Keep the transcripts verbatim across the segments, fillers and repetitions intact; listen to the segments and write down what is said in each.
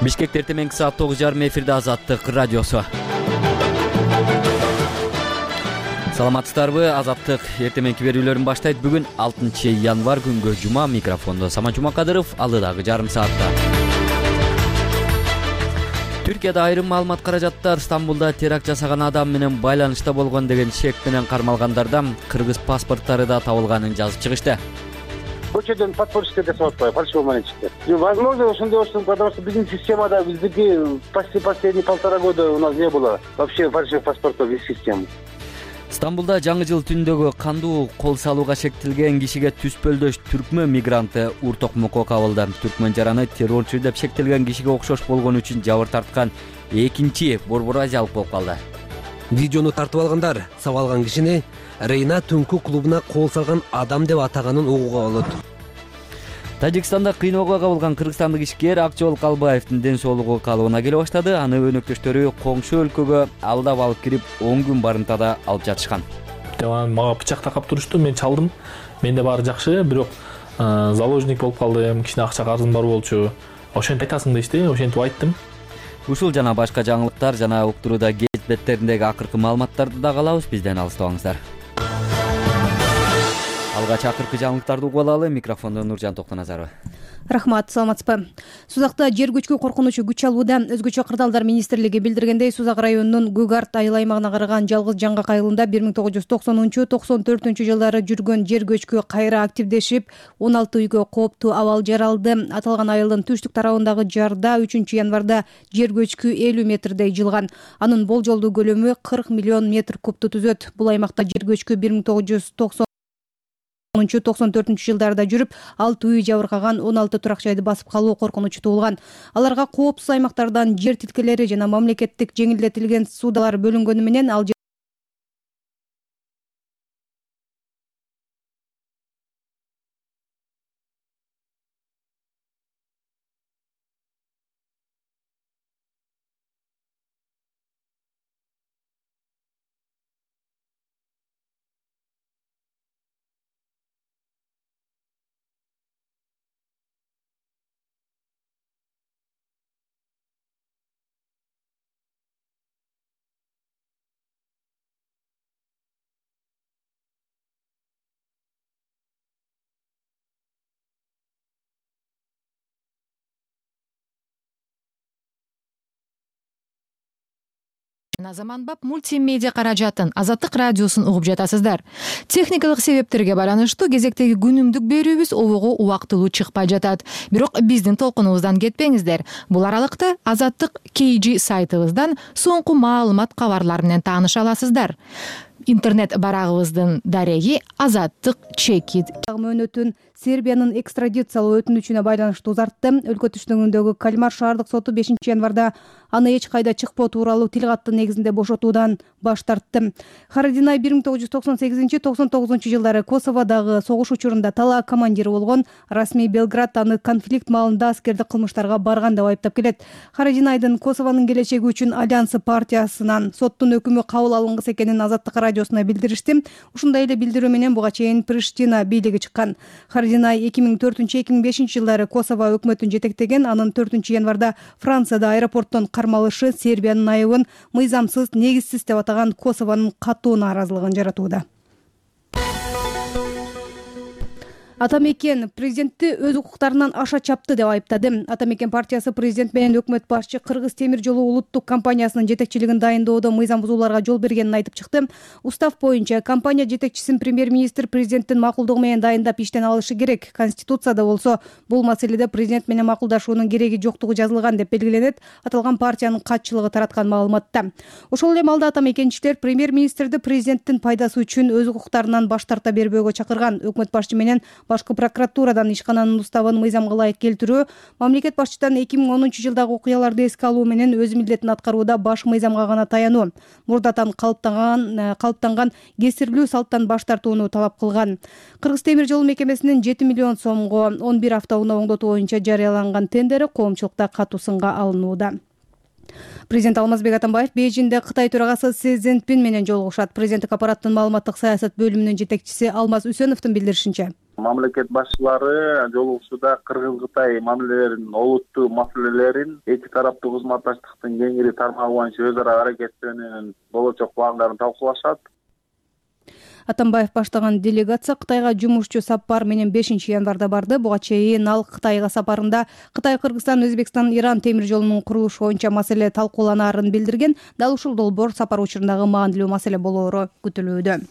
Бишкекте эртең саат тогуз жарым эфирде Азаттык радиосу. Саламатсыздарбы? Азаттык эртеңки берүүлөрүн баштайт. Бүгүн алтынчы январь күнгө жума. Микрофондо Самат Жумакадыров. Алдыдагы жарым саатта Түркияда айрым маалымат каражаттар Стамбулда теракт жасаган адам менен байланышта болгон деген шек менен кармалгандардан кыргыз паспорттары да табылганын жазып чыгышты. Көчөдөн подпорчикке жасап атпайбы, фальшивый монетчиктер. Возможно, ошондой болсун, потому что биздин системада биздики почти последние полтора года у нас не было вообще фальшивых паспортов из системы. Стамбулда жаңы жыл түндөгү кандуу кол салууга шектелген кишиге түспөлдөш түркмөн мигранты ур токмокко кабылды. Түркмөн жараны террорчу деп шектелген кишиге окшош болгон үчүн жабыр тарткан экинчи борбор азиялык болуп калды. Видеону тартып алгандар сабалган кишини Рейна түнкү клубуна кол салган адам деп атаганын угууга болот. Тажикстанда кыйноого кабылган кыргызстандык ишкер Акчол Калбаевдин ден соолугу калыбына келе баштады. Аны өнөктөштөрү коңшу өлкөгө алдап алып кирип он күн барымтада алып жатышкан. Мага бычак такап турушту, мен чалдым. Менде баары жакшы, бирок заложник болуп калдым, кичине акча карызым бар болчу. Ошентип айтасың дейишти, ошентип айттым. Ушул жана башка жаңылыктар жана уктурууда гез беттериндеги акыркы маалыматтарды да калабыз. Бизден алыстабаңыздар. Алгач акыркы жаңылыктарды угуп алалы. Микрофондо Нуржан Токтоназарова. Рахмат, саламатсызбы? Сузакта жер көчкү коркунучу күч алууда. Өзгөчө кырдаалдар министрлиги билдиргендей, Сузак районунун Гүгарт айыл аймагына караган жалгыз жаңгак айылында бир миң тогуз жүз токсонунчу — токсон төртүнчү жылдары жүргөн жер көчкү кайра активдешип, он алты үйгө кооптуу абал жаралды. Аталган айылдын түштүк тарабындагы жарда үчүнчү январда жер көчкү элүү метрдей жылган. Анын болжолдуу көлөмү кырк миллион метр кубту түзөт. Бул аймакта жер көчкү бир миң тогуз жүз токсон төртүнчү жылдарда жүрүп, алты үй жабыркаган, он алты турак жайды басып калуу коркунучу туулган. Аларга коопсуз аймактардан жер тилкелери жана мамлекеттик жеңилдетилген суудалар бөлүнгөнү менен ал Заманбап мультимедиа каражатын Азаттык радиосун угуп жатасыздар. Техникалык себептерге байланыштуу кезектеги күнүмдүк берүүбүз обого убактылуу чыкпай жатат. Бирок биздин толкунубуздан кетпеңиздер. Бул аралыкта Азаттык кей джи сайтыбыздан соңку маалымат кабарлар менен тааныша аласыздар. Интернет барагыбыздын дареги Азаттык чекит. Мөөнөтүн Сербиянын экстрадициялоо өтүнүчүнө байланыштуу узартты. Өлкө түштүгүндөгү Кальмар шаардык соту бешинчи январда аны эч кайда чыкпоо тууралуу тил катты негизинде бошотуудан баш тартты. Харадинай бир миң тогуз жүз токсон сегизинчи — токсон тогузунчу жылдары Косоводогу согуш учурунда талаа командири болгон. Расмий Белград аны конфликт маалында аскердик кылмыштарга барган деп айыптап келет. Харадинайдын Косовонун келечеги үчүн Альянсы партиясынан соттун өкүмү кабыл алынгыс экенин Азаттык радиосуна билдиришти. Ушундай эле билдирүү менен буга чейин Приштина бийлиги чыккан. Харадинай эки миң төртүнчү — эки миң бешинчи жылдары Косово өкмөтүн жетектеген. Анын төртүнчү январда Францияда аэропорттон кармалышы Сербиянын айыбын мыйзамсыз, негизсиз деп атаган Косовонун катуу нааразылыгын жаратууда. Атамекен президентти өз укуктарынан аша чапты деп айыптады. Атамекен партиясы президент менен өкмөт башчы Кыргыз темир жолу улуттук компаниясынын жетекчилигин дайындоодо мыйзам бузууларга жол бергенин айтып чыкты. Устав боюнча компания жетекчисин премьер-министр президенттин макулдугу менен дайындап иштен алышы керек. Конституцияда болсо бул маселеде президент менен макулдашуунун кереги жоктугу жазылган деп белгиленет. Аталган партиянын катчылыгы тараткан маалыматта. Ошол эле маалда атамекенчилер премьер-министрди президенттин пайдасы үчүн өз укуктарынан баш тарта бербөөгө чакырган. Өкмөт башчы менен башкы прокуратурадан ишкананын уставын мыйзамга ылайык келтирүү, мамлекет башчыдан эки миң онунчу жылдагы окуяларды эске алуу менен өз милдетин аткарууда баш мыйзамга гана таянуу, мурдатан калыптанган калыптанган кесирлүү салттан баш тартууну талап кылган. Кыргыз темир жолу мекемесинин жети миллион сомго он бир автоунаа оңдотуу боюнча жарыяланган тендери коомчулукта катуу сынга алынууда. Президент Алмазбек Атамбаев Бейжиңде Кытай төрагасы Си Цзиньпин менен жолугушат. Президенттик аппараттын маалыматтык саясат бөлүмүнүн жетекчиси Алмаз Үсөновдун билдиришинче, Мамлекет башчылары жолугушууда Кыргыз Кытай мамилелерин олуттуу маселелерин эки тараптуу кызматташтыктын кеңири тармагы боюнча өз ара аракеттенүүнүн болочок пландарын талкуулашат. Атамбаев баштаган делегация Кытайга жумушчу сапар менен бешинчи январда барды. Буга чейин ал Кытайга сапарында Кытай, Кыргызстан, Өзбекстан, Иран темир жолунун курулушу боюнча маселе талкууланаарын билдирген. Дал ушул долбоор сапар учурундагы маанилүү маселе болоору күтүлүүдө.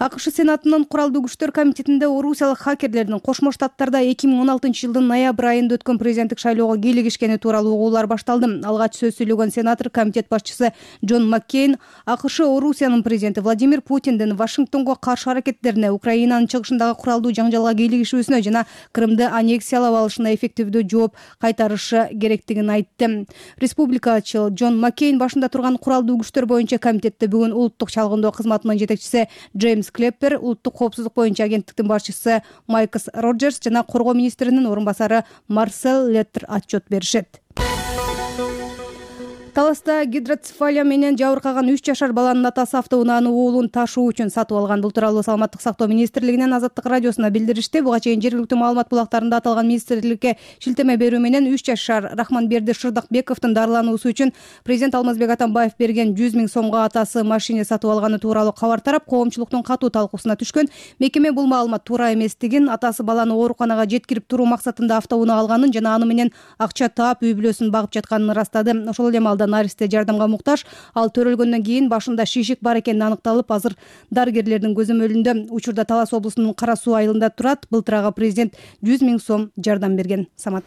АКШ Сенатынын Куралдуу күчтөр комитетинде орусиялык хакерлердин Кошмо Штаттарда эки миң он алтынчы жылдын ноябрь айында өткөн президенттик шайлоого кийлигишкени тууралуу угуулар башталды. Алгач сөз сүйлөгөн сенатор комитет башчысы Джон Маккейн АКШ Орусиянын президенти Владимир Путиндин Вашингтонго каршы аракеттерине, Украинанын чыгышындагы куралдуу жаңжалга кийлигишүүсүнө жана Крымды аннексиялап алышына эффективдүү жооп кайтарышы керектигин айтты. Республикачыл Джон Маккейн башында турган Куралдуу күчтөр боюнча комитетте бүгүн улуттук чалгындоо кызматынын жетекчиси Джеймс Клеппер, улуттук коопсуздук боюнча агенттиктин башчысы Майкс Роджерс жана коргоо министринин орун басары Марсел Леттер отчет беришет. Таласта гидроцефалия менен жабыркаган үч жашар баланын атасы автоунааны уулун ташуу үчүн сатып алган. Бул тууралуу Саламаттык сактоо министрлигинен Азаттык радиосуна билдиришти. Буга чейин жергиликтүү маалымат булактарында аталган министрликке шилтеме берүү менен үч жашар Рахманберди Шырдакбековдун дарылануусу үчүн президент Алмазбек Атамбаев берген жүз миң сомго атасы машина сатып алганы тууралуу кабар тарап, коомчулуктун катуу талкуусуна түшкөн. Мекеме бул маалымат туура эместигин, атасы баланы ооруканага жеткирип туруу максатында автоунаа алганын жана аны менен акча таап үй бүлөсүн багып жатканын ырастады. Ошол эле маалда наристе жардамга муктаж. Ал төрөлгөндөн кийин башында шишик бар экени аныкталып, азыр дарыгерлердин көзөмөлүндө. Учурда Талас облусунун Кара Суу айылында турат. Былтыр ага президент жүз миң сом жардам берген. Самат.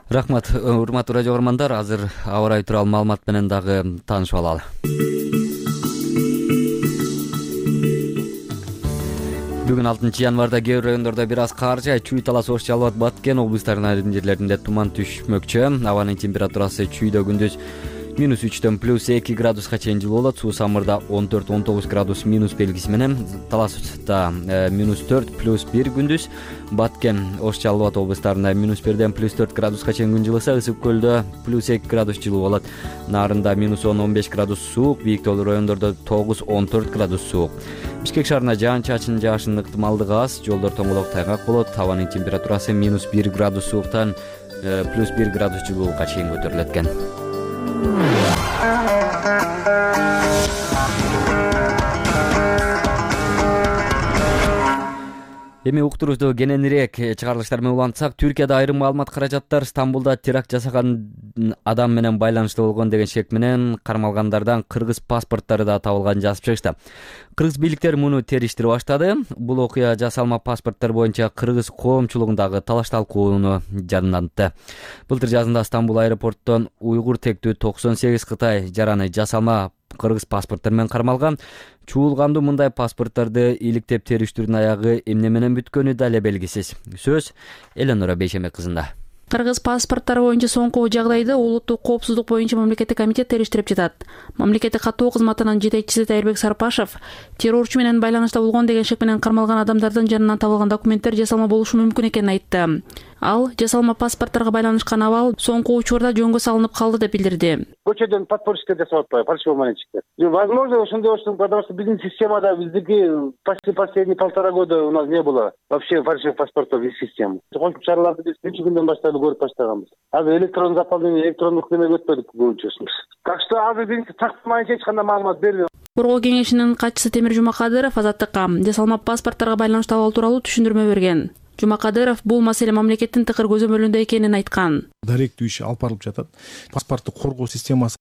Рахмат, урматтуу радио көрөрмандар. Азыр аба ырайы тууралуу маалымат менен дагы таанышып алалы. Бүгүн алтынчы январда кээ бир райондордо бир аз кар жаайт. Чүй, Талас, Ош, Жалал Абад, Баткен облустарынын айрым жерлеринде туман түшмөкчү. Абанын температурасы чүйдө күндүз минус үчтөн плюс эки градуска чейин жылуу болот. Суу Самырда он төрт он тогуз градус минус белгиси менен, Таласта минус төрт плюс бир күндүз, Баткен, Ош, Жалал Абад облустарында минус бирден плюс төрт градуска чейин күн жылыса, Ысык көлдө плюс эки градус жылуу болот. Нарында минус он он беш градус суук, бийик тоолуу райондордо тогуз он төрт градус суук. Бишкек шаарында жаан-чачын жаашынын ыктымалдыгы аз, жолдор тоңолок, тайгак болот. Абанын температурасы минус бир градус сууктан плюс бир градус жылуулукка чейин көтөрүлөт экен. Эми уктурубузду кененирээк чыгарылыштар менен улантсак, Түркияда айрым маалымат каражаттар Стамбулда теракт жасаган адам менен байланыштуу болгон деген шек менен кармалгандардан кыргыз паспорттары да табылганын жазып чыгышты. Кыргыз бийликтери муну териштире баштады. Бул окуя жасалма паспорттор боюнча кыргыз коомчулугундагы талаш талкууну жадындантты. Былтыр жазында Стамбул аэропортунан уйгур тектүү токсон сегиз Кытай жараны жасалма кыргыз паспорттор менен кармалган. Чуулгандуу мындай паспорттарды иликтеп териштирүүнүн аягы эмне менен бүткөнү да эле белгисиз. Сөз Эленора Бейшемек кызында. Кыргыз паспорттары боюнча соңку жагдайды улуттук коопсуздук боюнча мамлекеттик комитет териштирип жатат. Мамлекеттик каттоо кызматынын жетекчиси Тайырбек Сарпашев террорчу менен байланышта болгон деген шек менен кармалган адамдардын жанынан табылган документтер жасалма болушу мүмкүн экенин айтты. Ал жасалма паспорттарга байланышкан абал соңку учурда жөнгө салынып калды деп билдирди. Көчөдөн подпольщиктер жасап атпайбы, фальшивый монетчиктер. Возможно, ошондой болушу, потому что биздин системада биздики почти последние полтора года у нас не было вообще фальшивых паспортов из системы. Кошумча чараларды биз үч күндөн баштап көрүп баштаганбыз. Азыр электрон заполнение, электрондук неме өтпөдүк көбүнчөсүбүз. Так что азыр биринчи тактамайынча эч кандай маалымат бербейм. Коргоо кеңешинин катчысы Темир Жумакадыров Азаттыкка жасалма паспортторго байланыштуу абал тууралуу түшүндүрмө берген. Жумакадыров бул маселе мамлекеттин тыкыр көзөмөлүндө экенин айткан. Даректүү иш алып барылып жатат. Паспортты коргоо системасы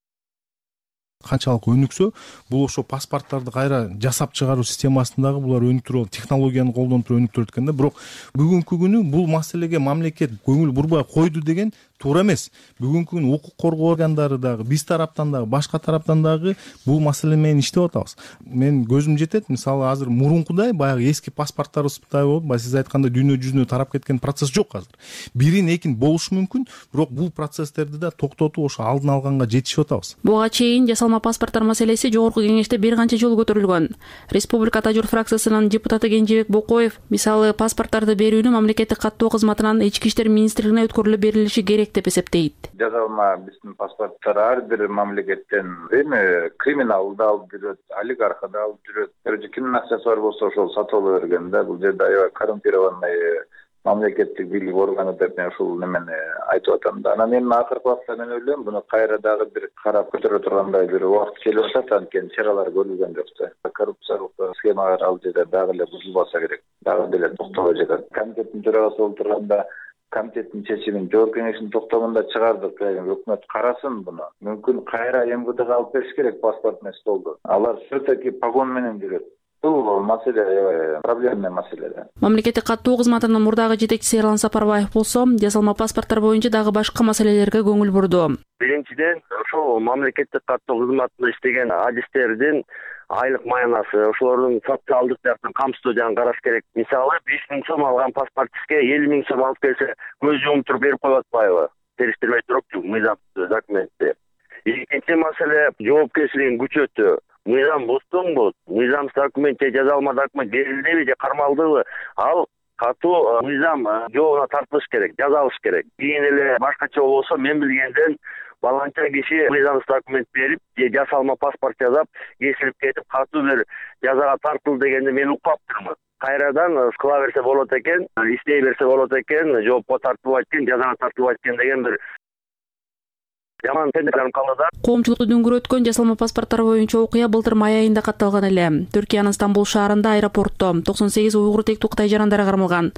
канчалык өнүксө, бул ошо паспорттарды кайра жасап чыгаруу системасындагы булар өнүктүрүп, технологияны колдонуп туруп өнүктүрөт экен да. Бирок бүгүнкү күнү бул маселеге мамлекет көңүл бурбай койду деген туура эмес. Бүгүнкү күнү укук коргоо органдары дагы, биз тараптан дагы, башка тараптан дагы бул маселе менен иштеп атабыз. Мен көзүм жетет, мисалы азыр мурункудай баягы эски паспорттарыбыздай болуп, баягы сиз айткандай дүйнө жүзүнө тарап кеткен процесс жок азыр. Бирин экин болушу мүмкүн, бирок бул процесстерди да токтотуп ошо алдын алганга жетишип атабыз. Буга чейин жасалма паспорттор маселеси жогорку кеңеште бир канча жолу көтөрүлгөн. Республика Тажур фракциясынын депутаты Кенжебек Бокоев, мисалы паспорттарды берүүнү мамлекеттик каттоо кызматынан ички иштер министрлигине өткөрүлүп берилиши керек керек деп эсептейт. Жазалма биздин паспорттор ар бир мамлекеттен эми криминал да алып жүрөт, олигарх да алып жүрөт. Короче, кимдин акчасы бар болсо ошол сатып ала берген да. Бул жерде аябай коррумпированный мамлекеттик бийлик органы деп мен ушул немени айтып атам да. Анан эми акыркы убакта мен ойлойм, буну кайра дагы бир карап көтөрө тургандай бир убакыт келип атат, анткени чаралар көрүлгөн жок да. Коррупциялык схемалар ал жерде дагы эле бузулбаса керек, дагы деле токтобой жатат. Комитеттин төрагасы болуп турганда комитеттин чечимин жооп кеңешинин токтомунда чыгардык. Өкмөт карасын буну. Мүмкүн кайра эм вэ дга алып бериш керек паспортный столду. Алар все-таки погон менен жүрөт. Бул маселе аябай проблемный маселе да. Мамлекеттик каттоо кызматынын мурдагы жетекчиси Эрлан Сапарбаев болсо, жасалма паспорттор боюнча дагы башка маселелерге көңүл бурду. Биринчиден, ошол мамлекеттик каттоо кызматында иштеген адистердин айлык маянасы, ошолордун социалдык жактан камсыздоо жагын караш керек. Мисалы, беш миң сом алган паспортистке элүү миң сом алып келсе, көз жумуп туруп берип коюп атпайбы? Териштирбей турупчу мыйзам документти. Экинчи маселе жоопкерчилигин күчөтүү. Мыйзам буздуңбу? Мыйзам документ же жазалма документ берилдеби же кармалдыбы? Ал катуу мыйзам жообуна тартылыш керек, жазалыш керек. Кийин эле башкача болсо, мен билгенден баланча киши мыйзам документ берип, же жасалма паспорт жазап, кесилип кетип, катуу бир жазага тартылды дегенди мен укпаптырмын. Кайрадан кыла берсе болот экен, иштей берсе болот экен, жоопко тартылбайт экен, жазага тартылбайт экен деген бир жаман тендерлер калды да. Коомчулукту дүңгүрөткөн жасалма паспорттор боюнча окуя былтыр май айында катталган эле. Түркиянын Стамбул шаарында аэропортто токсон сегиз уйгур тектүү Кытай жарандары кармалган.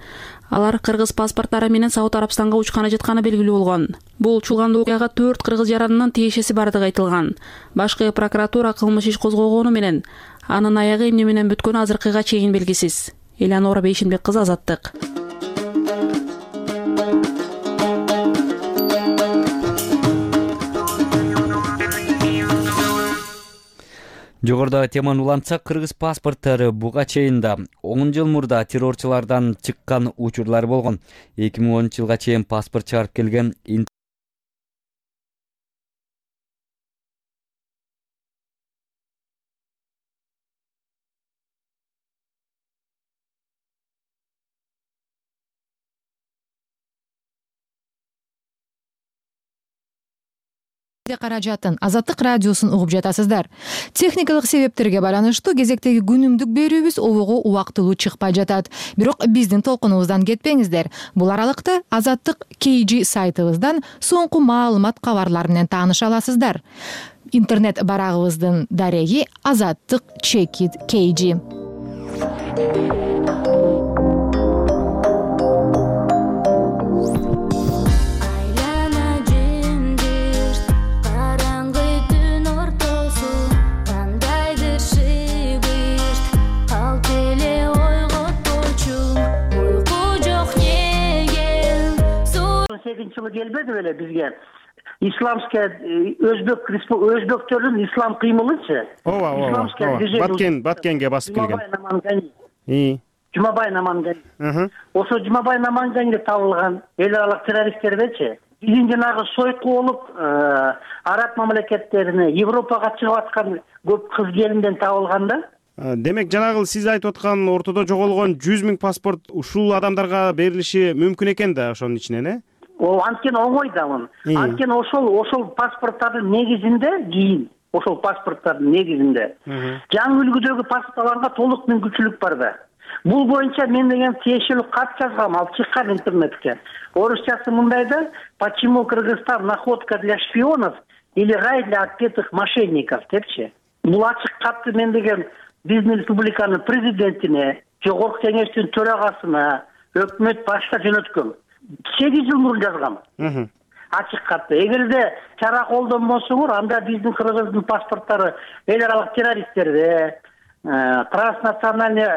Алар кыргыз паспорттары менен Сауд Арабстанга учканы жатканы белгилүү болгон. Бул чуулгандуу окуяга төрт кыргыз жаранынын тиешеси бардыгы айтылган. Башкы прокуратура кылмыш иш козгогону менен анын аягы эмне менен бүткөнү азыркыга чейин белгисиз. Элеонора Бейшенбек кызы, Азаттык. Жогоруда теманы улантсак, кыргыз паспорттары буга чейин да он жыл мурда террорчулардан чыккан учурлар болгон. эки миң онунчу жылга чейин паспорт чыгарып келген каражатын Азаттык радиосун угуп жатасыздар. Техникалык себептерге байланыштуу кезектеги күнүмдүк берүүбүз обого убактылуу чыкпай жатат. Бирок биздин толкунубуздан кетпеңиздер. Бул аралыкта Азаттык кей джи сайтыбыздан соңку маалымат кабарлар менен тааныша аласыздар. Интернет барагыбыздын дареги Азаттык чекит кей джи. сегизинчи жылы келбеди беле бизге исламская өзбек өзбектөрдүн ислам кыймылычы. Ооба, ооба. Баткен, Баткенге басып келген. И Жумабай Намангани. Ошо Жумабай Наманганде табылган эл аралык террористтердечи биздин жанагы сойку болуп араб мамлекеттерине, Европага чыгып аткан көп кыз келинден табылган да. Демек, жанагы сиз айтып аткан ортодо жоголгон жүз миң паспорт ушул адамдарга берилиши мүмкүн экен да ошонун ичинен, э? О, анткени оңой да мун. Анткени ошол ошол паспорттардын негизинде кийин ошол паспорттардын негизинде жаңы үлгүдөгү паспортларга толук мүмкүнчүлүк бар да. Бул боюнча мен деген тиешелүү кат жазгам, алып чыккан интернетке. Орусчасы мындай да: почему Кыргызстан находка для шпионов или рай для отпетых мошенников депчи. Бул ачык катты мен деген биздин республиканын президентине, жогорку кеңештин төрагасына, өкмөт башка жөнөткөм. сегиз жыл мурун жазгам. Ачык катты. Эгерде чара колдонбосоңор, анда биздин кыргыздын паспорттары эл аралык террористтерде, транснациональный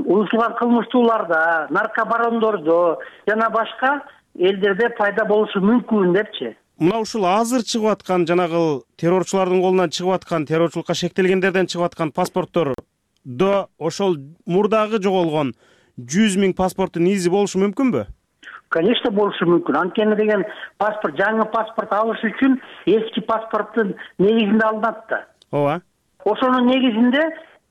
уюштурулган кылмыштууларда, наркобарондордо жана башка элдерде пайда болушу мүмкүн депчи. Мына ушул азыр чыгып аткан жанагы террорчулардын колунан чыгып аткан, террорчулукка шектелгендерден чыгып аткан паспорттор до ошол мурдагы жоголгон жүз миң паспорттун изи болушу мүмкүнбү? Конечно, болушу мүмкүн. Анткени деген паспорт, жаңы паспорт алыш үчүн эски паспорттун негизинде алынат да. Ооба. Ошонун негизинде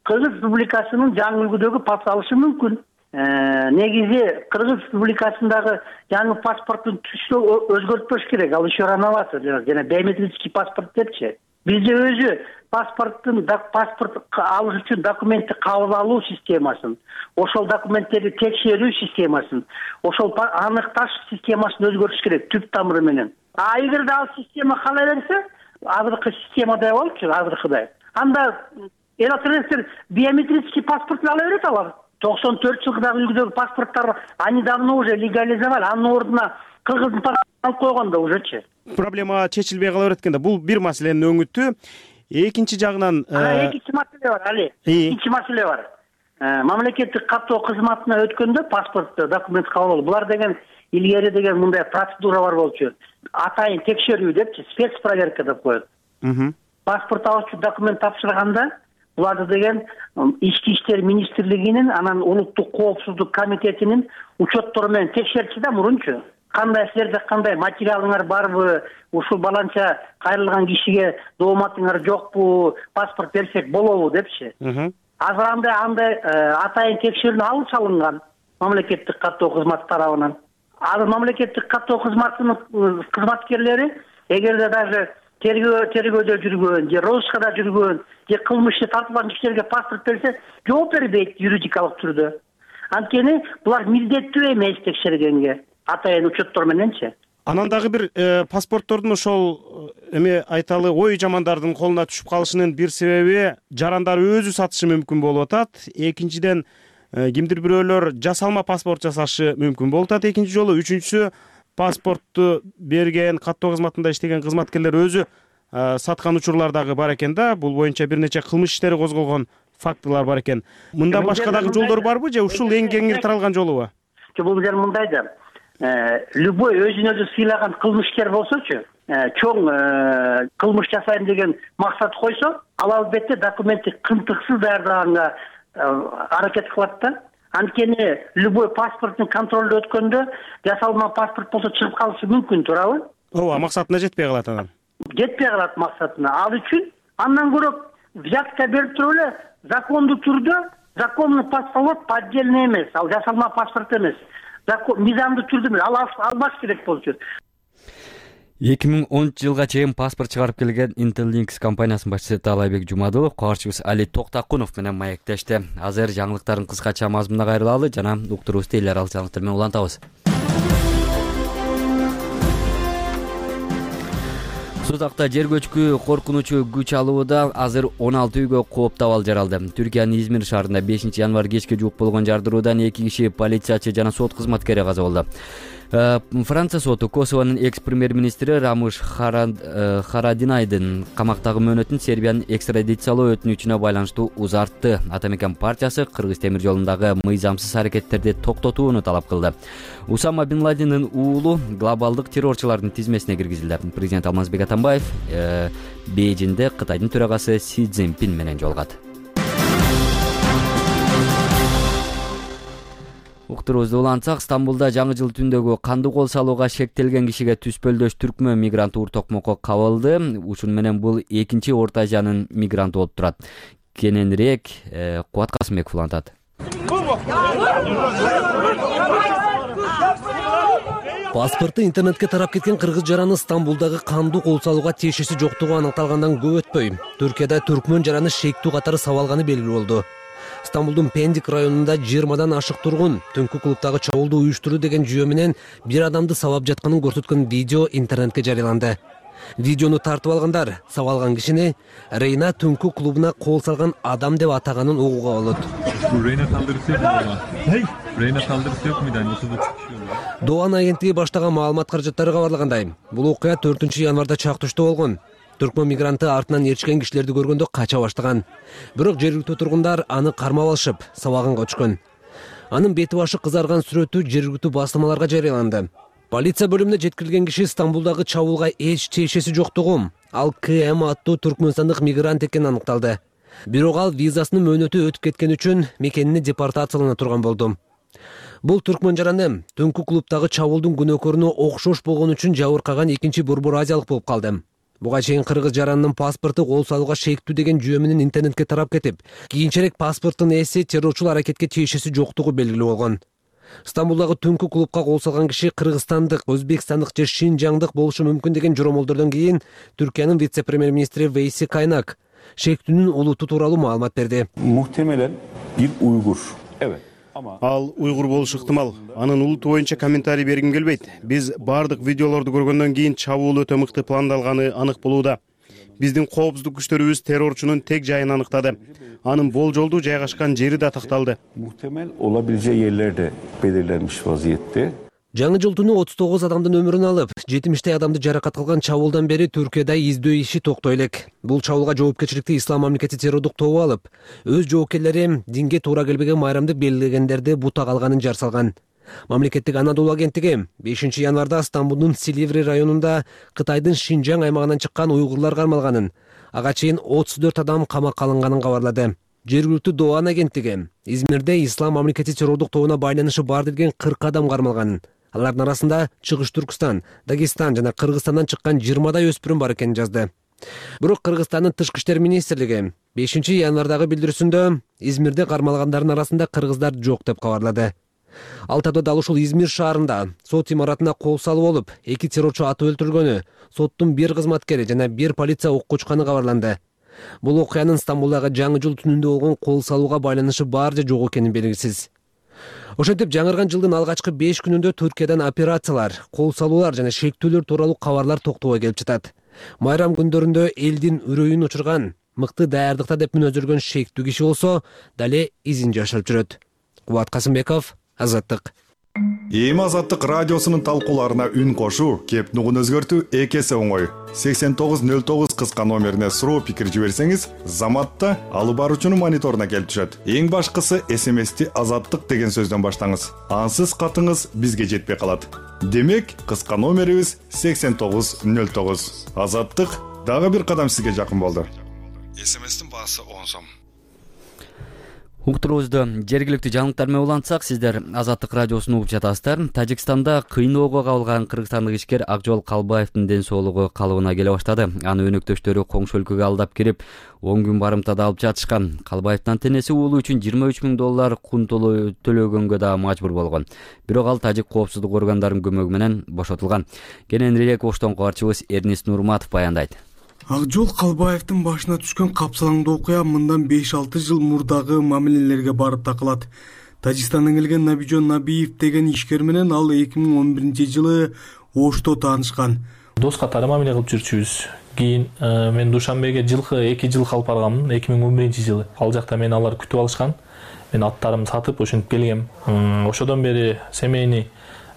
Кыргыз Республикасынын жаңы үлгүдөгү паспорт алышы мүмкүн. негизи Кыргыз Республикасындагы жаңы паспорттун түсү өзгөртпөш керек. Ал еще рановато жана биометрический паспорт депчи. Бизде өзү паспорттун паспорт алыш үчүн документти кабыл алуу системасын, ошол документтерди текшерүү системасын, ошол аныкташ системасын өзгөртүш керек түп тамыры менен. А эгерде ал система кала берсе, азыркы системадай болчу, азыркыдай. Анда электрондор биометрический паспорт ала берет алар. токсон төрт жылдагы үлгүдөгү паспорттор они давно уже легализовали, анын ордуна кыргыздын паспортун алып койгон да ужечи. Проблема чечилбей кала берет экен да. Бул бир маселенин өңүтү. Экинчи жагынан экинчи маселе бар, Али. Экинчи маселе бар. Мамлекеттик каттоо кызматына өткөндө паспорт документ кабыл алуу. Булар деген илгери деген мындай процедура бар болчу. Атайын текшерүү депчи, спецпроверка деп коет. Паспорт алуучу документ тапшырганда буларды деген Ички иштер министрлигинин, анан улуттук коопсуздук комитетинин учеттору менен текшерчи да мурунчу. Кандай силерде кандай материалыңар барбы, ушул баланча кайрылган кишиге дооматыңар жокпу, паспорт берсек болобу депчи. Азыр андай андай атайын текшерүүнү алып салынган мамлекеттик каттоо кызматы тарабынан. Азыр мамлекеттик каттоо кызматынын кызматкерлери эгерде даже тергөө тергөөдө жүргөн же розыскада жүргөн же кылмышты тартылган кишилерге паспорт берсе жооп бербейт юридикалык түрдө. Анткени булар милдеттүү эмес текшергенге атайын учеттор мененчи. Анан дагы бир паспорттордун ошол эме айталы ой жамандардын колуна түшүп калышынын бир себеби жарандар өзү сатышы мүмкүн болуп атат. Экинчиден кимдир бирөөлөр жасалма паспорт жасашы мүмкүн болуп атат экинчи жолу. Үчүнчүсү паспортту берген каттоо кызматында иштеген кызматкерлер өзү саткан учурлар дагы бар экен да. Бул боюнча бир нече кылмыш иштери козголгон фактылар бар экен. Мындан башка дагы жолдор барбы же ушул эң кеңири таралган жолубу? Бул жер мындай да. Любой өзүн өзү сыйлаган кылмышкер болсочу, чоң кылмыш жасайм деген максат койсо, ал албетте документти кымтыксыз даярдаганга аракет кылат да. Анткени любой паспорттун контролду өткөндө жасалма паспорт болсо чыгып калышы мүмкүн, туурабы? Ооба, максатына жетпей калат анан. Жетпей калат максатына. Ал үчүн андан көрө взятка берип туруп эле закондуу түрдө законный паспорт поддельный эмес, ал жасалма паспорт эмес. Мизамдуу түрдө ал албаш керек болчу. эки миң онунчу жылга чейин паспорт чыгарып келген Intellinks компаниясынын башчысы Таалайбек Жумадылов кабарчыбыз Али Токтакунов менен маектешти. Азыр жаңылыктардын кыскача мазмунуна кайрылалы жана уктуруубузду эл аралык жаңылыктар менен улантабыз. Судакта жер көчкү коркунучу күч алууда азыр он алты үйгө кооптуу абал жаралды. Түркиянын Измир шаарында бешинчи январь кечке жуук болгон жардыруудан эки киши полициячы жана сот кызматкери каза болду. Франция соту Косовонун экс-премьер-министри Рамыш Харадинайдын камактагы мөөнөтүн Сербиянын экстрадициялоо өтүнүчүнө байланыштуу узартты. Атамекен партиясы Кыргыз темир жолундагы мыйзамсыз аракеттерди токтотууну талап кылды. Усама Бин Ладендин уулу глобалдык террорчулардын тизмесине киргизилди. Президент Алмазбек Атамбаев Бейжиңде Кытайдын төрагасы Си Цзиньпин менен жолугат. Уктуруубузду улантсак, Стамбулда жаңы жыл түндөгү кандуу кол салууга шектелген кишиге түспөлдөш түркмөн мигранты Урток Моко кабылды. Ушун менен бул экинчи Орто Азиянын мигранты болуп турат. Кененирээк Кубат Касымбеков улантат. Паспорту интернетке тарап кеткен кыргыз жараны Стамбулдагы кандуу кол салууга тиешеси жоктугу аныкталгандан көп өтпөй, Түркияда түркмөн жараны шектүү катары сабалганы белгилүү болду. Стамбулдун Пендик районунда жыйырмадан ашык тургун түнкү клубдагы чабуулду уюштуруу деген жүйө менен бир адамды сабап жатканын көрсөткөн видео интернетке жарыяланды. Видеону тартып алгандар сабалган кишини Рейна түнкү клубуна кол салган адам деп атаганын угууга болот. Doğan агенттиги баштаган маалымат каражаттары кабарлагандай, бул окуя төртүнчү январда чактышта болгон. Түркмөн мигранты артынан ээрчишкен кишилерди көргөндө кача баштаган. Бирок жергиликтүү тургундар аны кармап алышып, сабаганга өчкөн. Анын бети башы кызарган сүрөтү жергиликтүү басылмаларга жарыяланды. Полиция бөлүмүнө жеткирилген киши Стамбулдагы чабуулга эч тиешеси жоктугу, ал КМ аттуу түркмөнстандык мигрант экени аныкталды. Бирок ал визасынын мөөнөтү өтүп кеткен үчүн мекенине депортациялана турган болду. Бул түркмөн жараны түнкү клубдагы чабуулдун күнөөкөрүнө окшош болгон үчүн жабыркаган экинчи борбор азиялык болуп калды. Буга чейин кыргыз жаранынын паспорту кол салууга шектүү деген жүйө менен интернетке тарап кетип, кийинчерээк паспорттун ээси террорчул аракетке тиешеси жоктугу белгилүү болгон. Стамбулдагы түнкү клубка кол салган киши кыргызстандык, өзбекстандык же шинжаңдык болушу мүмкүн деген жоромолдордон кийин Түркиянын вице-премьер-министри Вейси Кайнак шектүүнүн улуту тууралуу маалымат берди. Muhtemelen bir Uygur. Evet. Ал уйгур болушу ыктымал. Анын улуту боюнча комментарий бергим келбейт. Биз бардык видеолорду көргөндөн кийин чабуул өтө мыкты пландалганы анык болууда. Биздин коопсуздук күчтөрүбүз террорчунун тег жайын аныктады. Анын болжолдуу жайгашкан жери да такталды. Muhtemel olabileceği yerler de belirlenmiş vaziyette. Жаңы жыл түнү отуз тогуз адамдын өмүрүн алып, жетимиштей адамды жаракат кылган чабуулдан бери Түркияда издөө иши токтой элек. Бул чабуулга жоопкерчиликти Ислам мамлекети террордук тобу алып, өз жоопкерлери динге туура келбеген майрамды белгилегендерди бута калганын жар салган. Мамлекеттик Анадолу агенттиги бешинчи январда Стамбулдун Силиври районунда Кытайдын Шинжаң аймагынан чыккан уйгурлар кармалганын, ага чейин отуз төрт адам камакка алынганын кабарлады. Жергиликтүү Doğan агенттиги Измирде Ислам мамлекети террордук тобуна байланышы бар деген кырк адам кармалганын, алардын арасында Чыгыш Түркстан, Дагестан жана Кыргызстандан чыккан жыйырмадай өспүрүм бар экенин жазды. Бирок Кыргызстандын тышкы иштер министрлиги бешинчи январдагы билдирүүсүндө Измирде кармалгандардын арасында кыргыздар жок деп кабарлады. Ал табда дал ушул Измир шаарында сот имаратына кол салып болуп, эки террорчу атып өлтүрүлгөнү, соттун бир кызматкери жана бир полиция окко учканы кабарланды. Бул окуянын Стамбулдагы жаңы жыл түнүндө болгон кол салууга байланышы бар же жок экени белгисиз. Ошентип жаңырган жылдын алгачкы беш күнүндө Түркиядан операциялар, кол салуулар жана шектүүлөр тууралуу кабарлар токтобой келип жатат. Майрам күндөрүндө элдин үрөйүн учурган, мыкты даярдыкта деп мүнөздөргөн шектүү киши болсо, дале изин жашырып жүрөт. Кубат Касымбеков, Азаттык. Эми Азаттык радиосунун талкууларына үн кошуу, кеп нугун өзгөртүү эки эсе оңой. сексен тогуз нөл тогуз кыска номерине суроо пикир жиберсеңиз, заматта алып баруучунун мониторуна келип түшөт. Эң башкысы эс эм эсти Азаттык деген сөздөн баштаңыз. Ансыз катыңыз бизге жетпей калат. Демек, кыска номерибиз сексен тогуз нөл тогуз. Азаттык дагы бир кадам сизге жакын болду. эс эм эстин баасы он сом. Уктуруубузду жергиликтүү жаңылыктар менен улантсак, сиздер Азаттык радиосун угуп жатасыздар. Тажикстанда кыйноого кабылган кыргызстандык ишкер Акжол Калбаевдин ден соолугу калыбына келе баштады. Аны өнөктөштөрү коңшу өлкөгө алдап кирип, он күн барымтада алып жатышкан. Калбаевдин анттенеси уулу үчүн жыйырма үч миң доллар кун төлөгөнгө да мажбур болгон. Бирок ал тажик коопсуздук органдарынын көмөгү менен бошотулган. Кененирээк Оштон кабарчыбыз Эрнис Нурматов баяндайт. Акжол Калбаевдин башына түшкөн капсалаңдуу окуя мындан беш алты жыл мурдагы мамилелерге барып такылат. Тажикстандан келген Набижон Набиев деген ишкер менен ал эки миң он биринчи жылы Ошто таанышкан. Дос катары мамиле кылып жүрчүбүз. Кийин мен Душанбеге жылкы эки жыл калып барганмын, эки миң он биринчи жылы. Ал жакта мени алар күтүп алышкан. Мен аттарымды сатып ошентип келгем. Ошодон бери семейный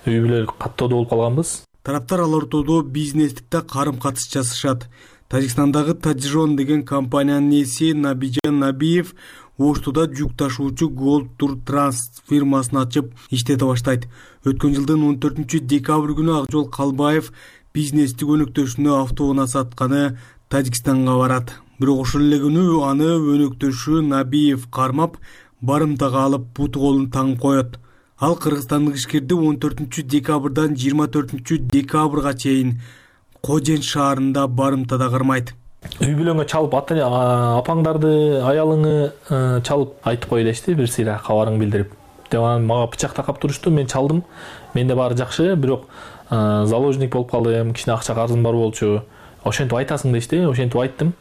үй бүлө каттоодо болуп калганбыз. Тараптар ал ортодо бизнестикте карым-катыш жасашат. Тажикстандагы Таджирон деген компаниянын ээси Набижон Набиев Оштуда жүк ташуучу Gold Tour Trans фирмасын ачып иштете баштайт. Өткөн жылдын он төртүнчү декабрь күнү Акжол Калбаев бизнестик өнөктөшүнө автоунаа сатканы Тажикстанга барат. Бирок ошол эле күнү аны өнөктөшү Набиев кармап, барымтага алып буту колун таңып коет. Ал кыргызстандык ишкерди он төртүнчү декабрдан жыйырма төртүнчү декабрга чейин Кожен шаарында барымтада кармайт. Үй бүлөңө чалып, апаңдарды, аялыңы чалып айтып кой дешти, бир сыйра кабарың билдирип. Деп анан мага бычак такап турушту, мен чалдым. Менде баары жакшы, бирок заложник болуп калдым, кичине акча карызым бар болчу. Ошентип айтасың дешти, ошентип айттым.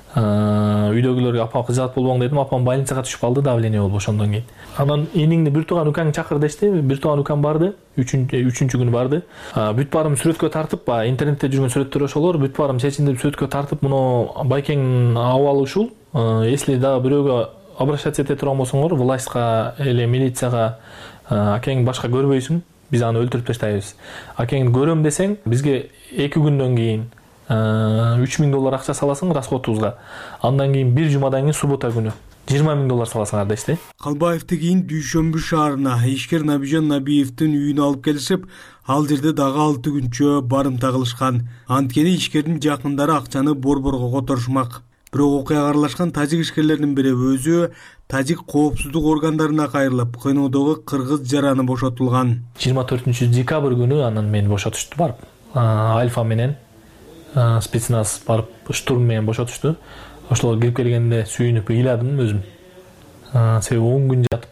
Үйдөгүлөргө апам кызат болбоң дедим, апам больницага түшүп калды, давление болуп ошондон кийин. Анан эниңди бир тууган укаңды чакыр дешти, бир тууган укам барды, үчүнчү күнү барды. Бүт баарым сүрөткө тартып, интернетте жүргөн сүрөттөр ошолор, бүт баарым чечиндирип сүрөткө тартып, муну Байкең абалы ушул. Если дагы бирөөгө обращаться эте турган болсоңор, властька эле милицияга акең башка көрбөйсүң, биз аны өлтүрүп таштайбыз. Акең көрөм десең, бизге эки күндөн кийин үч миң доллар акча саласың расходубузга. Андан кийин бир жумадан кийин суббота күнү жыйырма миң доллар саласыңар дешти. Калбаевди кийин Дүйшөмбү шаарына ишкер Набижон Набиевдин үйүнө алып келишип, ал жерде дагы алты күнчө барымта кылышкан. Анткени ишкердин жакындары акчаны борборго которушмак. Бирок окуяга аралашкан тажик ишкерлердин бири өзү тажик коопсуздук органдарына кайрылып, кыйноодогу кыргыз жараны бошотулган. жыйырма төртүнчү декабрь күнү анан мени бошотушту барып. Альфа менен спецназ барып штурм менен бошотушту. Ошолор кирип келгенде сүйүнүп ыйладым өзүм. Себеби он күн жатып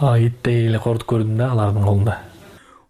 иттей эле кордук көрдүм да алардын колунда.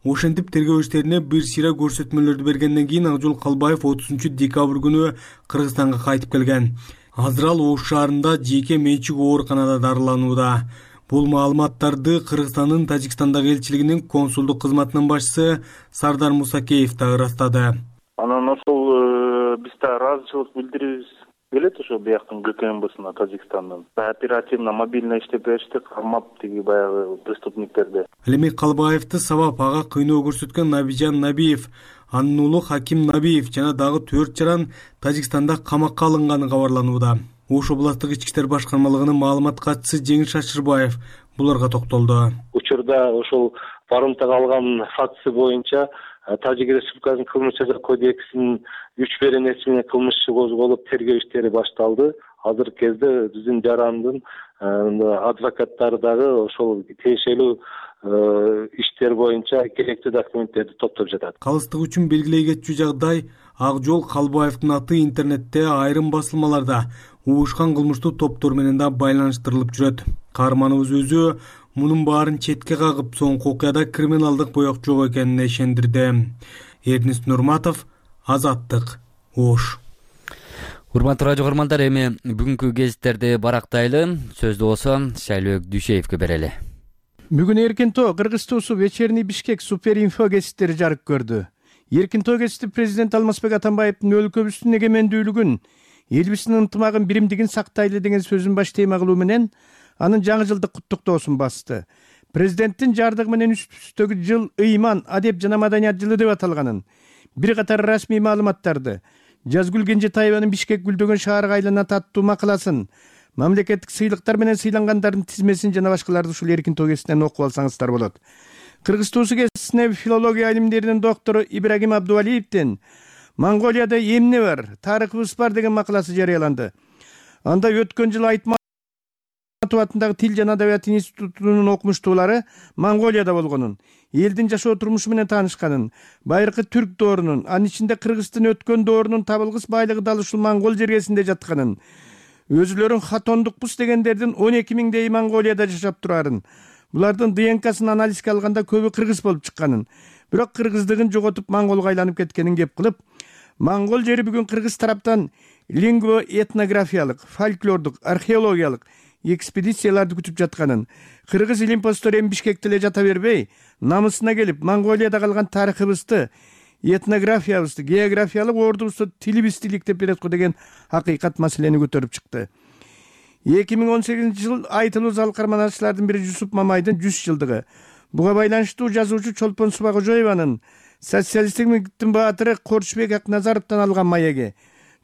Ошентип тергөө иштерине бир сыйра көрсөтмөлөрдү бергенден кийин Акжол Калбаев отузунчу декабрь күнү Кыргызстанга кайтып келген. Азыр ал Ош шаарында жеке менчик ооруканада дарыланууда. Бул маалыматтарды Кыргызстандын Тажикстандагы элчилигинин консулдук кызматынын башчысы Сардар Мусакеев да ырастады. Анан ошол биз да ыраазычылык билдирибиз келет ошо бияктын ГКМБсына Тажикстандын. Оперативно мобильно иштеп беришти, кармап тиги баягы преступниктерди. Ал эми Калбаевди сабап ага кыйноо көрсөткөн Набижан Набиев, анын уулу Хаким Набиев жана дагы төрт жаран Тажикстанда камакка алынганы кабарланууда. Ош областтык ички иштер башкармалыгынын маалымат катчысы Жеңиш Шашырбаев буларга токтолду. Учурда ошол барымтага алган фактысы боюнча Тажик Республикасынын кылмыш жаза кодексинин үч беренеси менен кылмыш иши козголуп тергөө иштери башталды. Азыркы кезде биздин жарандын адвокаттары дагы ошол тиешелүү иштер боюнча керектүү документтерди топтоп жатат. Калыстык үчүн белгилей кетчү жагдай Акжол Калбаевдин аты интернетте айрым басылмаларда уушкан кылмыштуу топтор менен да байланыштырылып жүрөт. Каарманыбыз өзү мунун баарын четке кагып, соңку окуяда криминалдык боек жок экенине ишендирди. Эрнис Нурматов, Азаттык, Ош. Урматтуу радио көрөрмандар, эми бүгүнкү гезиттерди барактайлы. Сөздү болсо Шайлөөк Дүйшеевге берели. Бүгүн Эркин Тоо Кыргыз туусу Вечерний Бишкек Суперинфо гезиттери жарык көрдү. Эркин Тоо гезити президент Алмазбек Атамбаевдин өлкөбүздүн эгемендүүлүгүн, элибиздин ынтымагын, биримдигин сактайлы деген сөзүн баш тема кылуу менен анын жаңы жылдык куттуктоосун басты. Президенттин жардыгы менен үстүбүздөгү жыл ыйман, адеп жана маданият жылы деп аталганын, бир катар расмий маалыматтарды, Жазгүл Кенжетаеванын Бишкек гүлдөгөн шаарга айланат аттуу макаласын, мамлекеттик сыйлыктар менен сыйлангандардын тизмесин жана башкаларды ушул Эркин Тоо гезитинен окуп алсаңыздар болот. Кыргыз туусу гезитине филология илимдеринин доктору Ибрагим Абдувалиевдин Монголияда эмне бар, тарыхыбыз бар деген макаласы жарыяланды. Анда өткөн жылы Айтматов атындагы Тил жана Адабият институтунун окумуштуулары Монголияда болгонун, элдин жашоо турмушу менен таанышканын, байыркы түрк доорунун, анын ичинде кыргыздын өткөн доорунун табылгыс байлыгы дал ушул монгол жергесинде жатканын, өзүлөрүн хатондукпуз дегендердин он эки миңдей Монголияда жашап турарын, булардын ДНКсын анализге алганда көбү кыргыз болуп чыкканын, бирок кыргыздыгын жоготуп монголго айланып кеткенин кеп кылып, монгол жери бүгүн кыргыз тараптан лингвоэтнографиялык, фольклордук, археологиялык экспедицияларды күтүп жатканын, кыргыз илимпоздору эми Бишкекте эле жата бербей, намысына келип, Монголияда калган тарыхыбызды, этнографиябызды, географиялык ордубузду тилибизди иликтеп берет го деген акыйкат маселени көтөрүп чыкты. эки миң он сегизинчи жыл айтылуу зал карманашчылардын бири Жусуп Мамайдын жүз жылдыгы. Буга байланыштуу жазуучу Чолпон Субакожоеванын социалисттиктин баатыры Корчубек Акназаровдон алган маеги,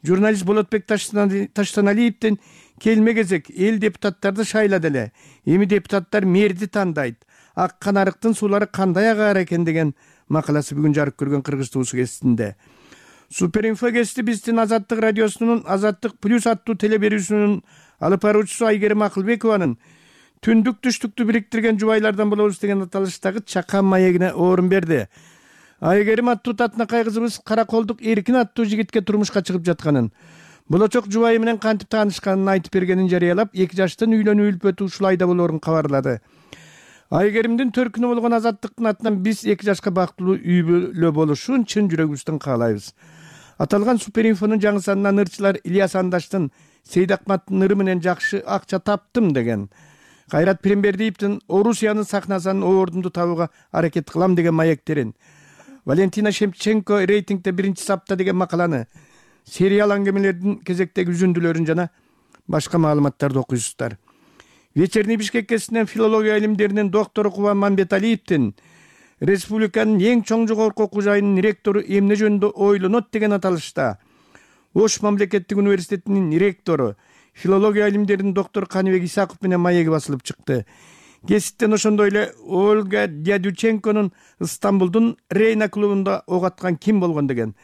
журналист Болотбек Таштаналиевдин келме кезек эл депутаттарды шайлады эле, эми депутаттар мэрди тандайт, ак канарыктын суулары кандай агар экен деген макаласы бүгүн жарык көргөн Кыргыз туусу гезитинде. Суперинфо гезити биздин Азаттык радиосунун Азаттык плюс аттуу телеберүүсүнүн алып баруучусу Айгерим Акылбекованын түндүк түштүктү бириктирген жубайлардан болобуз деген аталыштагы чакан маегине орун берди. Айгерим аттуу татынакай кызыбыз Караколдук Эркин аттуу жигитке турмушка чыгып жатканын, болочок жубайы менен кантип таанышканын айтып бергенин жарыялап, эки жаштын үйлөнүү үлпөтү ушул айда болоорун кабарлады. Айгеримдин төркүнү болгон Азаттыктын атынан биз эки жашка бактылуу үй бүлө болушун чын жүрөгүбүздөн каалайбыз. Аталган Суперинфонун жаңы санынан ырчылар Ильяс Андаштын Сейдакматтын ыры менен жакшы акча таптым деген, Кайрат Пиримбердиевдин Орусиянын сахнасынан ордунду табууга аракет кылам деген маектерин, Валентина Шемченко рейтингде биринчи сапта деген макаланы, сериал аңгемелердин кезектеги үзүндүлөрүн жана башка маалыматтарды окуйсуздар. Вечерний Бишкек гезитинен филология илимдеринин доктору Кубан Мамбеталиевдин республиканын эң чоң жогорку окуу жайынын ректору эмне жөнүндө ойлонот деген аталышта Ош мамлекеттик университетинин ректору, филология илимдеринин доктору Каныбек Исаков менен маеги басылып чыкты. Гезиттен ошондой эле Ольга Дядюченконун Стамбулдун Рейна клубунда ок аткан ким болгон деген,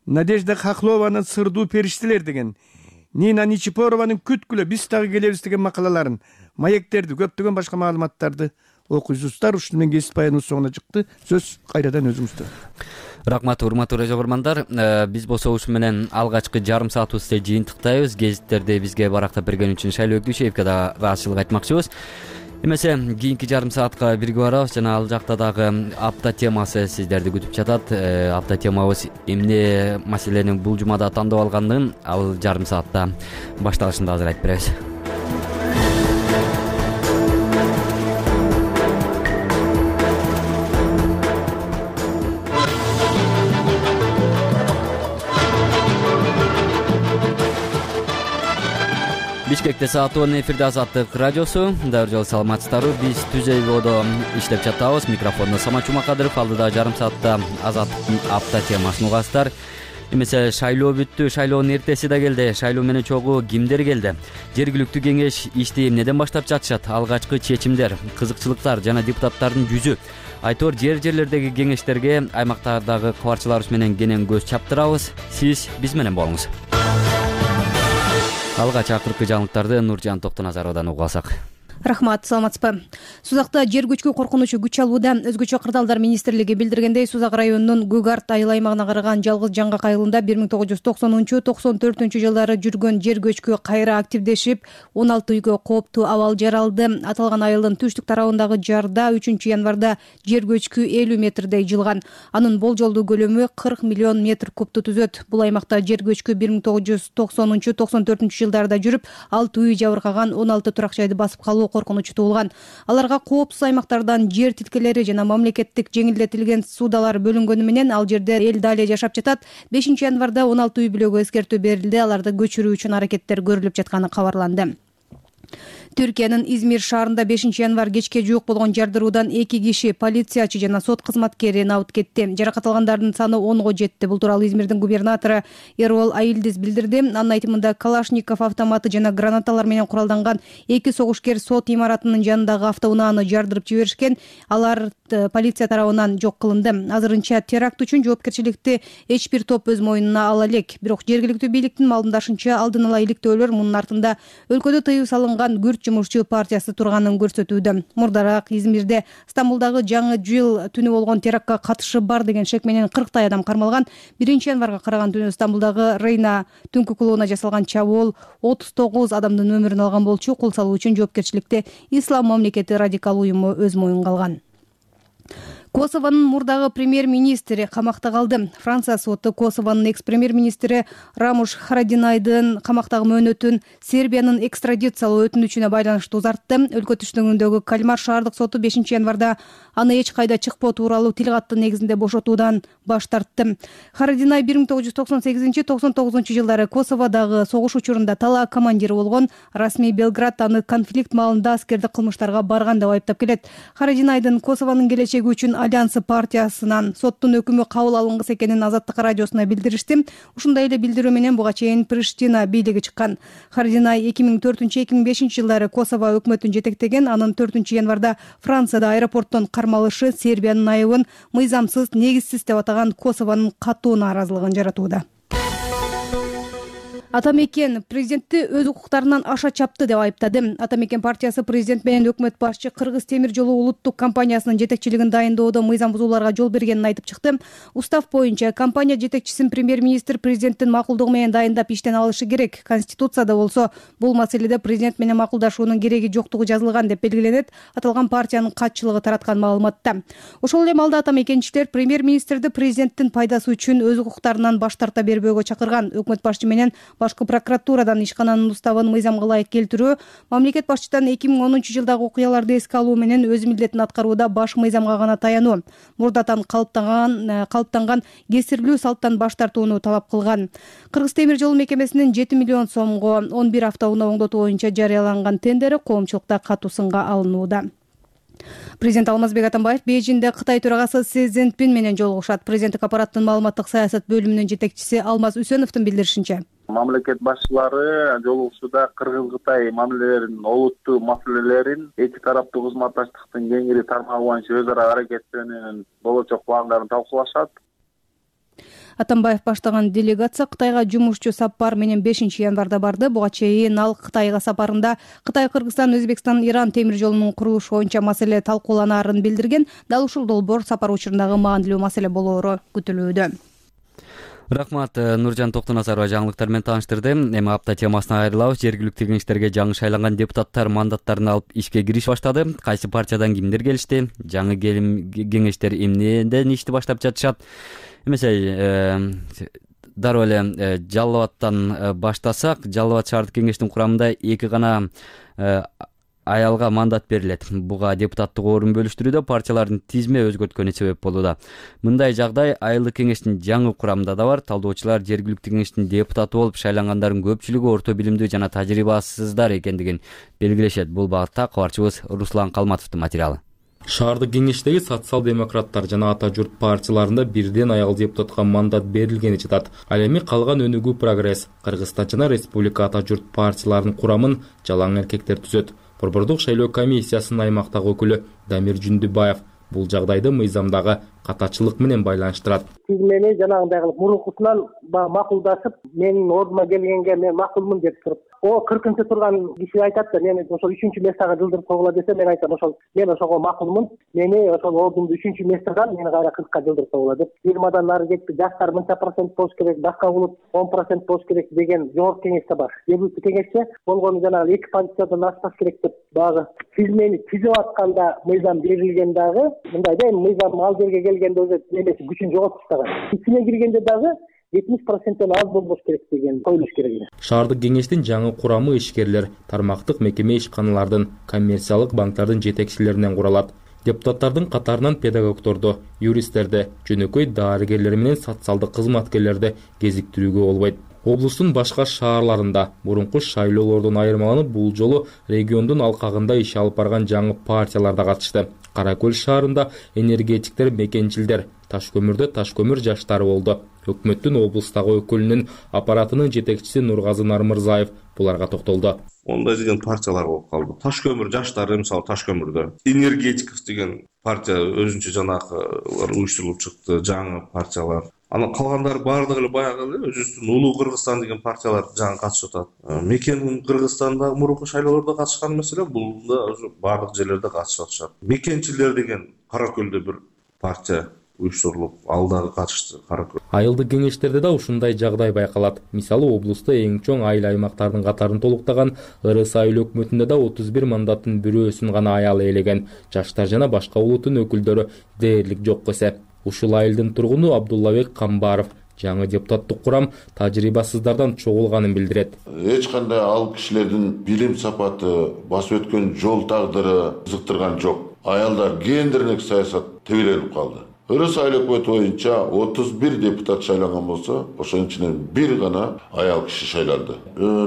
Надежда Хохлованын Сырдуу периштелер деген, Нина Ничипорованын Күткүлө биз дагы келебиз деген макалаларын, маектерди, көптөгөн башка маалыматтарды окуйсуздар. Ушуну менен гезит баяныбыз соңуна чыкты. Сөз кайрадан өзүңүздө. Рахмат, урматтуу радио көрөрмандар. Биз болсо ушу менен алгачкы жарым саатыбызды жыйынтыктайбыз. Гезиттерди бизге барактап берген үчүн Шайлоо Өкүшевге да ыраазычылык айтмакчыбыз. Эмесе кийинки жарым саатка бирге барабыз жана ал жакта дагы апта темасы сиздерди күтүп жатат. Апта темабыз эмне маселени бул жумада тандап алгандыгын ал жарым саатта башталышында азыр айтып беребиз. Бишкекте саат он эфирде Азаттык радиосу. Дагы жолу саламатсыздарбы? Биз Түзөйбодо иштеп жатабыз. Микрофондо Самат Жумакадыров, алдыда жарым саатта Азаттыктын апта темасын угасыздар. Эмесе шайлоо бүттү, шайлоонун эртеси да келди. Шайлоо менен чогуу кимдер келди? Жергиликтүү кеңеш ишти эмнеден баштап жатышат? Алгачкы чечимдер, кызыкчылыктар жана депутаттардын жүзү. Айтор жер жерлердеги кеңештерге аймактардагы кабарчыларыбыз менен кенен көз чаптырабыз. Сиз биз менен болуңуз. Алгач акыркы жаңылыктарды Нуржан Токтоназаровдон угуп алсак. Рахмат, саламатсызбы? Сузакта жер көчкү коркунучу күч алууда. Өзгөчө кырдаалдар министрлиги билдиргендей, Сузак районунун Гугарт айыл аймагына караган жалгыз жаңгак айылында бир миң тогуз жүз токсонунчу токсон төртүнчү жылдары жүргөн жер көчкү кайра активдешип, он алты үйгө кооптуу абал жаралды. Аталган айылдын түштүк тарабындагы жарда үчүнчү январда жер көчкү элүү метрдей жылган. Анын болжолдуу көлөмү кырк миллион метр кубту түзөт. Бул аймакта жер көчкү бир миң тогуз жүз токсонунчу токсон төртүнчү жылдарда жүрүп, алты үй жабыркаган, он алты турак жайды басып калуу коркунучу туулган. Аларга коопсуз аймактардан жер тилкелери жана мамлекеттик жеңилдетилген суудалар бөлүнгөнү менен ал жерде эл дали жашап жатат. бешинчи январда он алты үй бүлөгө эскертүү берилди. Аларды көчүрүү үчүн аракеттер көрүлүп жатканы кабарланды. Түркиянын Измир шаарында бешинчи январ кечке жуук болгон жардыруудан эки киши, полициячы жана сот кызматкери набыт кетти. Жаракат алгандардын саны онго жетти. Бул тууралуу Измирдин губернатору Эрол Айылдиз билдирди. Анын айтымында Калашников автоматы жана гранаталар менен куралданган эки согушкер сот имаратынын жанындагы автоунааны жардырып жиберишкен. Алар полиция тарабынан жок кылынды. Азырынча теракт үчүн жоопкерчиликти эч бир топ өз мойнуна ала элек. Бирок жергиликтүү бийликтин маалымдашынча алдын ала иликтөөлөр мунун артында өлкөдө тыюу салынган күрт жумушчу партиясы турганын көрсөтүүдө. Мурдараак Измирде Стамбулдагы жаңы жыл түнү болгон терактка катышы бар деген шек менен кырктай адам кармалган. биринчи январга караган түнү Стамбулдагы Рейна түнкү клубуна жасалган чабуул отуз тогуз адамдын өмүрүн алган болчу. Кол салуу үчүн жоопкерчиликти Ислам мамлекети радикал уюму өз моюнга алган. Косовонун мурдагы премьер-министри камакта калды. Франция соту Косовонун экс-премьер-министри Рамуш Харадинайдын камактагы мөөнөтүн Сербиянын экстрадициялоо өтүнүчүнө байланыштуу узартты. Өлкө түштүгүндөгү Кальмар шаардык соту бешинчи январда аны эч кайда чыкпоо тууралуу тил каттын негизинде бошотуудан баш тартты. Харадинай бир миң тогуз жүз токсон сегизинчи токсон тогузунчу жылдары Косоводагы согуш учурунда талаа командири болгон. Расмий Белград аны конфликт маалында аскердик кылмыштарга барган деп айыптап келет. Харадинайдын Косовонун келечеги үчүн Альянсы партиясынан соттун өкүмү кабыл алынгысы экенин Азаттык радиосуна билдиришти. Ушундай эле билдирүү менен буга чейин Приштина бийлиги чыккан. Харадинай эки миң төртүнчү эки миң бешинчи жылдары Косово өкмөтүн жетектеген. Анын төртүнчү январда Францияда аэропорттон кармалышы Сербиянын айыбын мыйзамсыз, негизсиз деп атаган Косовонун катуу нааразылыгын жаратууда. Атамекен президентти өз укуктарынан аша чапты деп айыптады. Атамекен партиясы президент менен өкмөт башчы Кыргыз темир жолу улуттук компаниясынын жетекчилигин дайындоодо мыйзам бузууларга жол бергенин айтып чыкты. Устав боюнча компания жетекчисин премьер-министр президенттин макулдугу менен дайындап иштен алышы керек. Конституцияда болсо бул маселеде президент менен макулдашуунун кереги жоктугу жазылган деп белгиленет. Аталган партиянын катчылыгы тараткан маалыматта. Ошол эле маалда атамекенчилер премьер-министрди президенттин пайдасы үчүн өз укуктарынан баш тарта бербөөгө чакырган. Өкмөт башчы менен башкы прокуратурадан ишкананын уставын мыйзамга ылайык келтирүү, мамлекет башчыдан эки миң онунчу жылдагы окуяларды эске алуу менен өз милдетин аткарууда баш мыйзамга гана таянуу, мурдатан калыптанган калыптанган кесирлүү салттан баш тартууну талап кылган. Кыргыз темир жолу мекемесинин жети миллион сомго он бир автоунаа оңдотуу боюнча жарыяланган тендери коомчулукта катуу сынга алынууда. Президент Алмазбек Атамбаев Бейжиңде Кытай төрагасы Си Цзиньпин менен жолугушат. Президенттик аппараттын маалыматтык саясат бөлүмүнүн жетекчиси Алмаз Үсөновдун билдиришинче, мамлекет башчылары жолугушууда Кыргыз-Кытай мамилелеринин олуттуу маселелерин, эки тараптуу кызматташтыктын кеңири тармагы боюнча өз ара аракеттенүүнүн болочок пландарын талкуулашат. Атамбаев баштаган делегация Кытайга жумушчу сапар менен бешинчи январда барды. Буга чейин ал Кытайга сапарында Кытай, Кыргызстан, Өзбекстан, Иран темир жолунун курулушу боюнча маселе талкууланаарын билдирген. Дал ушул долбоор сапар учурундагы маанилүү маселе болоору күтүлүүдө. Рахмат, Нуржан Токтонасарова жаңылыктар менен тааныштырды. Эми апта темасына айрылабыз. Жергиликтүү кеңештерге жаңы шайланган депутаттар мандаттарын алып ишке кириш баштады. Кайсы партиядан кимдер келишти? Жаңы кеңештер эмнеден ишти баштап жатышат? Эмесе дароо эле Жалал абадтан баштасак, Жалал абад шаардык кеңештин курамында эки гана аялга мандат берилет. Буга депутаттык орун бөлүштүрүүдө партиялардын тизме өзгөрткөнү себеп болууда. Мындай жагдай айылдык кеңештин жаңы курамында да бар. Талдоочулар жергиликтүү кеңештин депутаты болуп шайлангандардын көпчүлүгү орто билимдүү жана тажрыйбасыздар экендигин белгилешет. Бул багытта кабарчыбыз Руслан Калматовдун материалы. Шаардык кеңештеги социал-демократтар жана Ата журт партияларында бирден аял депутатка мандат берилгени жатат. Ал эми калган Өнүгүү Прогресс, Кыргызстан жана Республика Ата журт партияларынын курамын жалаң эркектер түзөт. Борбордук шайлоо комиссиясынын аймактагы өкүлү Дамир Жүндүбаев бул жагдайды мыйзамдагы катачылык менен байланыштырат. Сиз мени жанагындай кылып мурункусунан макулдашып, менин ордума келгенге мен макулмун деп туруп, о кыркынчы турган киши айтат да, мени ошол үчүнчү местага жылдырып койгула десе, мен айтам, ошол мен ошого макулмун. Мени ошол ордумду үчүнчү местадан мени кайра кыркка жылдырып койгула деп, жыйырмадан нары кетти, жаштар мынча процент болуш керек, башка улут он процент болуш керек деген жогорку кеңеште бар. Жергиликтүү кеңеште болгону жанагы эки позициядан ашпаш керек деп багы сиз мени түзүп атканда мыйзам берилген дагы, мындай да, мыйзам ал жерге келгенде өзү эмеси күчүн жоготуп тастаган. Ичине киргенде дагы жетимиш проценттен аз болбош керек деген коюлуш керек. Шаардык кеңештин жаңы курамы ишкерлер, тармактык мекеме ишканалардын, коммерциялык банктардын жетекчилеринен куралат. Депутаттардын катарынан педагогдорду, юристтерди, жөнөкөй дарыгерлер менен социалдык кызматкерлерди кезиктирүүгө болбойт. Облустун башка шаарларында мурунку шайлоолордон айырмаланып, бул жолу региондун алкагында иш алып барган жаңы партиялар да катышты. Кара Көл шаарында энергетиктер, мекенчилдер, таш көмүрдө таш көмүр жаштары болду. Өкмөттүн облустагы өкүлүнүн аппаратынын жетекчиси Нургазы Нармырзаев буларга токтолду. Ондай деген партиялар болуп калды. Таш көмүр жаштары, мисалы таш көмүрдө. Энергетиков деген партия өзүнчө жанагы уюштурулуп чыкты, жаңы партиялар. Анан калгандары баардыгы эле баягы эле өзүбүздүн Улуу Кыргызстан деген партиялар жаңы катышып атат. Мекен Кыргызстанда мурунку шайлоолордо катышкан маселе, бул да баардык жерлерде катышып атышат. Мекенчилер деген Кара Көлдө бир партия уюштурулуп, ал дагы катышты. Кара Көл. Айылдык кеңештерде да ушундай жагдай байкалат. Мисалы, облустта эң чоң айыл аймактардын катарын толуктаган Ырыс айыл өкмөтүндө да отуз бир мандаттын бирөөсүн гана аял ээлеген. Жаштар жана башка улуттун өкүлдөрү дээрлик жок эсеп. Ушул айылдын тургуну Абдуллабек Камбаров жаңы депутаттык курам тажрыйбасыздардан чогулганын билдирет. Эч кандай ал кишилердин билим сапаты, басып өткөн жол тагдыры кызыктырган жок. Аялдар гендерлик саясат тебеленип калды. Ырыс айыл өкмөтү боюнча отуз бир депутат шайланган болсо, ошонун ичинен бир гана аял киши шайланды.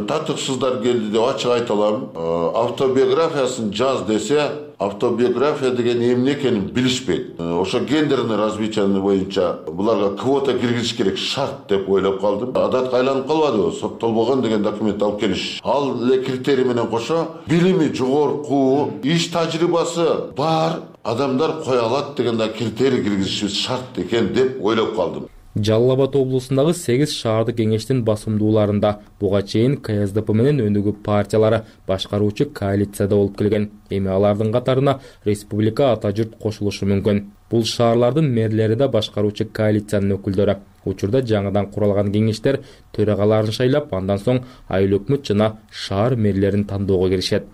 Татыксыздар келди деп ачык айта алам. Автобиографиясын жаз десе, автобиография деген эмне экенин билишпейт. Ошо гендерный развитие боюнча буларга квота киргизиш керек шарт деп ойлоп калдым. Адатка айланып калбадыбы? Соттолбогон деген документ алып келиш. Ал эле критерий менен кошо билими жогорку, иш тажрыйбасы бар адамдар кое алат деген да критерий киргизишибиз шарт экен деп ойлоп калдым. Жалал Абад облусундагы сегиз шаардык кеңештин басымдууларында буга чейин К С Д П менен Өнүгүү партиялары башкаруучу коалицияда болуп келген. Эми алардын катарына Республика Ата журт кошулушу мүмкүн. Бул шаарлардын мэрлери да башкаруучу коалициянын өкүлдөрү. Учурда жаңыдан куралган кеңештер төрагаларын шайлап, андан соң айыл өкмөт жана шаар мэрлерин тандоого киришет.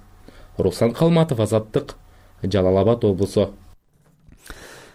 Руслан Калматов, Азаттык, Жалал Абад облусу.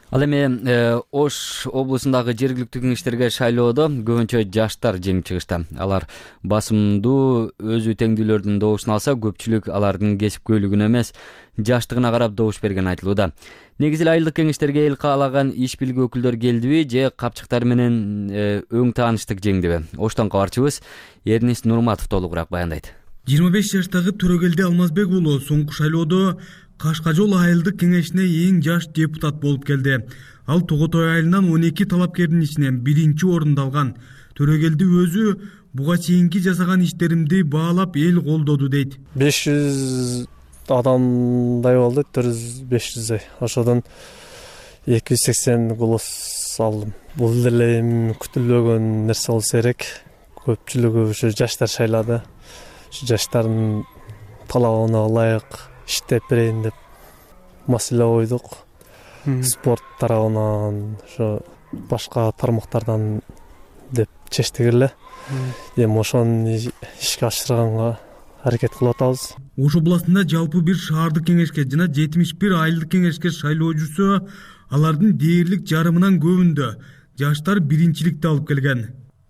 Ал эми Ош облусундагы жергиликтүү кеңештерге шайлоодо көбүнчө жаштар жеңип чыгышты. Алар басымдуу өзү теңдүүлөрдүн добушун алса, көпчүлүк алардын кесипкөйлүгүнө эмес, жаштыгына карап добуш берген айтылууда. Негизи эле айылдык кеңештерге эл каалаган иш билги өкүлдөр келдиби же капчыктар менен өң тааныштык жеңдиби? Оштон кабарчыбыз Эрнис Нурматов толугураак баяндайт. жыйырма беш жаштагы Төрөгелди Алмазбек уулу соңку шайлоодо Кашкажол айылдык кеңешине эң жаш депутат болуп келди. Ал Тоготой айылынан он эки талапкердин ичинен биринчи орунду алган. Төрөгелди өзү буга чейинки жасаган иштеримди баалап эл колдоду дейт. беш жүз адамдай болду, төрт жүз беш жүздөй. Ошодон эки жүз сексен голос алдым. Бул деле эми күтүлбөгөн нерсе болсо керек. Көпчүлүгү ушу жаштар шайлады. Ушу жаштардын талабына ылайык иштеп берейин деп маселе койдук. Спорт тарабынан, ошо башка тармактардан деп чечтик эле. Эми ошону ишке ашырганга аракет кылып атабыз. Ош областында жалпы бир шаардык кеңешке жана жетимиш бир айылдык кеңешке шайлоо жүрсө, алардын дээрлик жарымынан көбүндө жаштар биринчиликти алып келген.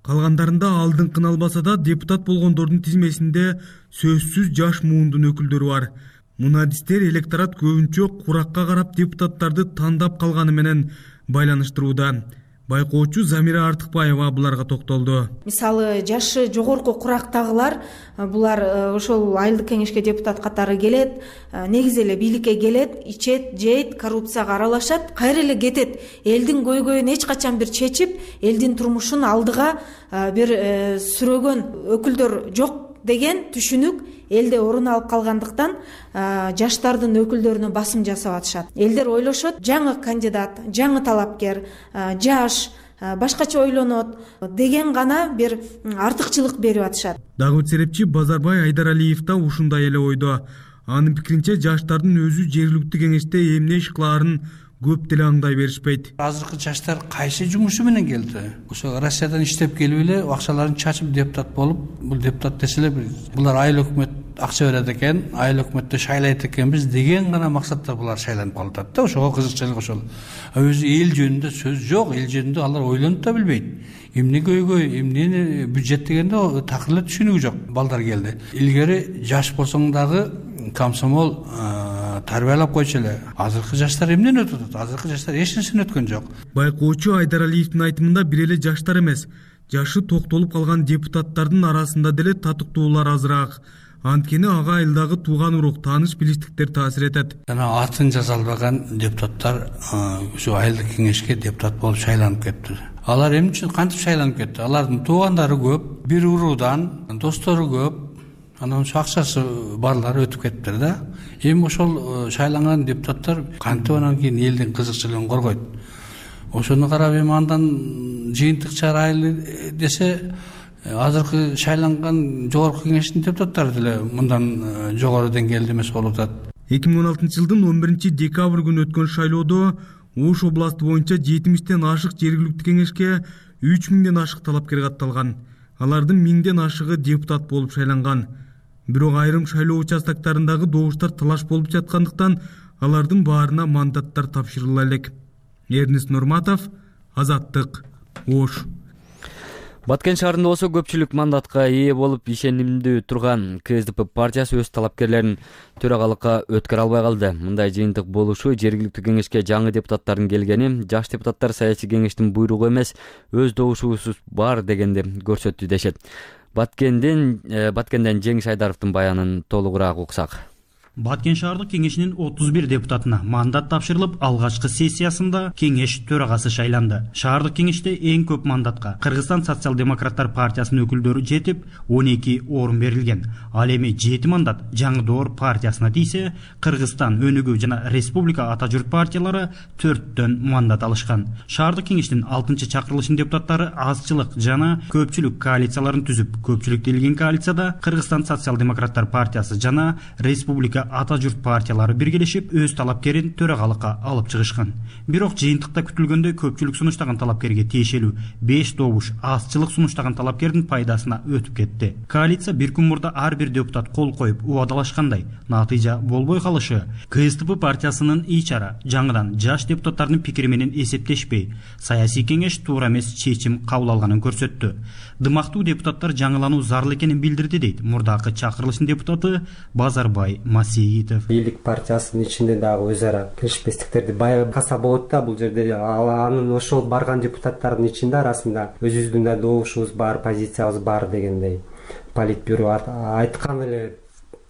Калгандарында алдыңкын албаса да депутат болгондордун тизмесинде сөзсүз жаш муундун өкүлдөрү бар. Мунадистер электорат көбүнчө куракка карап депутаттарды тандап калганы менен байланыштырууда. Байкоочу Замира Артыкбаева буларга токтолду. Мисалы, жашы жогорку курактагылар булар ошол айылдык кеңешке депутат катары келет, негизи эле бийликке келет, ичет, жейт, коррупцияга аралашат, кайра эле кетет. Элдин көйгөйүн эч качан бир чечип, элдин турмушун алдыга бир сүрөгөн өкүлдөр жок деген түшүнүк элде орун алып калгандыктан жаштардын өкүлдөрүнө басым жасап атышат. Элдер ойлошот, жаңы кандидат, жаңы талапкер, жаш, башкача ойлонот деген гана бир артыкчылык берип атышат. Дагы бир серепчи Базарбай Айдаралиев да ушундай эле ойдо. Анын пикиринче, жаштардын өзү жергиликтүү кеңеште эмне иш кылаарын көп деле аңдай беришпейт. Азыркы жаштар кайсы жумушу менен келди? Ошо Россиядан иштеп келип эле акчаларын чачып депутат болуп, бул депутат деселе булар айыл өкмөт акча берет экен, айыл өкмөттө шайлайт экенбиз деген гана максатта булар шайланып калышат да. Ошого кызыкчылык ошол. Өзү эл жөнүндө сөз жок, эл жөнүндө алар ойлонуп да билбейт. Эмне көйгөй, эмнени бюджет дегенде такыр эле түшүнүгү жок балдар келди. Илгери жаш болсоң дагы комсомол тарбиялап койчу эле. Азыркы жаштар эмнени өтүп атат? Азыркы жаштар эч нерсени өткөн жок. Байкоочу Айдаралиевдин айтымында бир эле жаштар эмес, жашы токтолуп калган депутаттардын арасында деле татыктуулар азыраак. Анткени ага айылдагы тууган урук, тааныш билиштиктер таасир этет. Жана атын жаза албаган депутаттар ушу айылдык кеңешке депутат болуп шайланып кетти. Алар эмне үчүн кантип шайланып кетти? Алардын туугандары көп, бир уруудан, достору көп. Анан ошо акчасы барлары өтүп кетиптир да. Эми ошол шайланган депутаттар кантип анан кийин элдин кызыкчылыгын коргойт. Ошону карап эми андан жыйынтык чыгарайлы десе, азыркы шайланган жогорку кеңештин депутаттары деле мындан жогору деңгээлде эмес болуп атат. эки миң он алтынчы жылдын он биринчи декабрь күнү өткөн шайлоодо Ош областы боюнча жетимиштен ашык жергиликтүү кеңешке үч миңден ашык талапкер катталган. Алардын миңден ашыгы депутат болуп шайланган. Бирок айрым шайлоо участоктарындагы добуштар талаш болуп жаткандыктан алардын баарына мандаттар тапшырыла элек. Эрнис Нурматов, Азаттык, Ош. Баткен шаарында болсо көпчүлүк мандатка ээ болуп ишенимдүү турган КСДП партиясы өз талапкерлерин төрагалыкка өткөрө албай калды. Мындай жыйынтык болушу жергиликтүү кеңешке жаңы депутаттардын келгени, жаш депутаттар саясий кеңештин буйругу эмес, өз добушубуз бар дегенди көрсөттү дешет. Баткенден Баткенден Жеңиш Айдаровдун баянын толугураак уксак. Баткен шаардык кеңешинин отуз бир депутатына мандат тапшырылып, алгачкы сессиясында кеңеш төрагасы шайланды. Шаардык кеңеште эң көп мандатка Кыргызстан социал-демократтар партиясынын өкүлдөрү жетип, он эки орун берилген. Ал эми жети мандат Жаңы Доор партиясына тийсе, Кыргызстан Өнүгүү жана Республика Ата журт партиялары төрттөн мандат алышкан. Шаардык кеңештин алтынчы чакырылышынын депутаттары азчылык жана көпчүлүк коалицияларын түзүп, көпчүлүктү илген коалицияда Кыргызстан социал-демократтар партиясы жана Республика Ата журт партиялары биргелешип өз талапкерин төрагалыкка алып чыгышкан. Бирок жыйынтыкта күтүлгөндөй көпчүлүк сунуштаган талапкерге тиешелүү беш добуш азчылык сунуштаган талапкердин пайдасына өтүп кетти. Коалиция бир күн мурда ар бир депутат кол коюп убадалашкандай, натыйжа болбой калышы КСДП партиясынын ичара жаңыдан жаш депутаттардын пикири менен эсептешпей, саясий кеңеш туура эмес чечим кабыл алганын көрсөттү. Дымактуу депутаттар жаңылануу зарыл экенин билдирди дейт мурдакы чакырылыштын депутаты Базарбай Масиитов. Бийлик партиясынын ичинде дагы өз ара келишпестиктерди баягы каса болот да, бул жерде анын ошол барган депутаттардын ичинде арасында өзүбүздүн да добушубуз бар, позициябыз бар дегендей политбюро айткан эле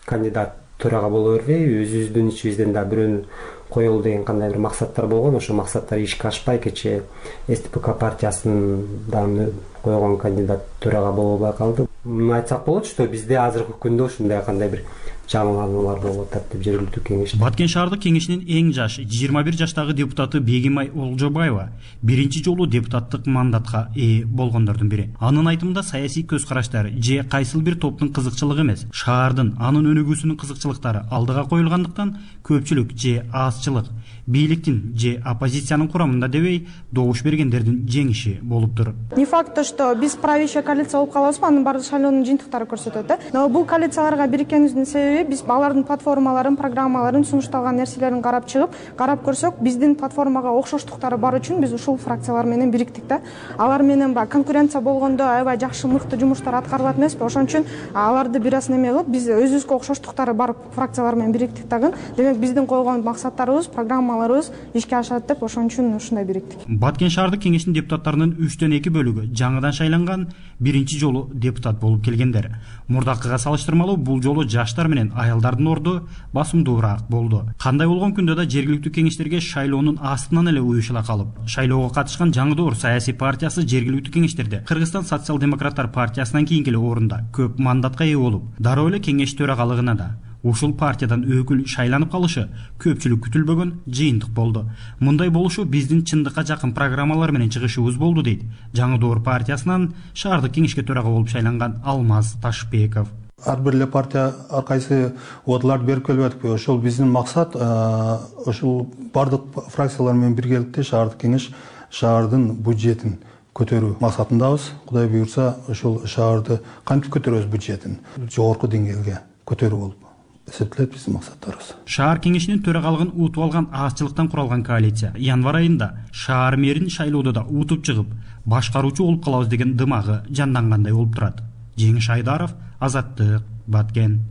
кандидат төрага боло бербей, өзүбүздүн ичибизден да бирөөнү коелу деген кандай бир максаттар болгон. Ошол максаттар ишке ашпай кечээ СТПК партиясынын койгон кандидат төрага боло албай калды. Муну айтсак болот, что бизде азыркы күндө ушундай кандай бир жаңылануулар болуп атат деп жергиликтүү кеңеш. Баткен шаардык кеңешинин эң жаш жыйырма бир жаштагы депутаты Бегимай Олжобаева биринчи жолу депутаттык мандатка ээ болгондордун бири. Анын айтымында саясий көз караштар же кайсыл бир топтун кызыкчылыгы эмес, шаардын анын өнүгүүсүнүн кызыкчылыктары алдыга коюлгандыктан көпчүлүк же азчылык бийликтин же оппозициянын курамында дебей добуш бергендердин жеңиши болуптур. Не факт то, что биз правящая коалиция болуп калабызбы, анын баардык шайлоонун жыйынтыктары көрсөтөт да. Но бул коалицияларга бириккенибиздин себеби биз алардын платформаларын, программаларын, сунушталган нерселерин карап чыгып, карап көрсөк, биздин платформага окшоштуктары бар үчүн биз ушул фракциялар менен бириктик да. Алар менен баягы конкуренция болгондо аябай жакшы мыкты жумуштар аткарылат эмеспи? Ошон үчүн аларды бир аз неме кылып, биз өзүбүзгө окшоштуктары бар фракциялар менен бириктик дагы. Демек биздин койгон максаттарыбыз, программаларыбыз ишке ашат деп ошон үчүн ушундай бириктик. Баткен шаардык кеңешинин депутаттарынын үчтөн эки бөлүгү жаңыдан шайланган, биринчи жолу депутат болуп келгендер. Мурдакыга салыштырмалуу бул жолу жаштар менен аялдардын орду басымдуураак болду. Кандай болгон күндө да жергиликтүү кеңештерге шайлоонун астынан эле уюшула калып, шайлоого катышкан Жаңы Доор саясий партиясы жергиликтүү кеңештерде Кыргызстан социал-демократтар партиясынан кийинки эле орунда көп мандатка ээ болуп, дароо эле кеңеш төрагалыгына да ушул партиядан өкүл шайланып калышы көпчүлүк күтүлбөгөн жыйынтык болду. Мындай болушу биздин чындыкка жакын программалар менен чыгышыбыз болду дейт Жаңы Доор партиясынан шаардык кеңешке төрага болуп шайланган Алмаз Ташбеков. Ар бир эле партия ар кайсы одларды берип келип атпайбы? Ошол биздин максат ошол бардык фракциялар менен биргеликте шаардык кеңеш шаардын бюджетин көтөрүү максатындабыз. Кудай буйрса, ошол шаарды кантип көтөрөбүз бюджетин жогорку деңгээлге көтөрүү болуп эсептелет биздин максаттарыбыз. Шаар кеңешинин төрагалыгын утуп алган азчылыктан куралган коалиция январь айында шаар мэрин шайлоодо да утуп чыгып, башкаруучу болуп калабыз деген дымагы жандангандай болуп турат. Жеңиш Айдаров, Азаттык, Баткен.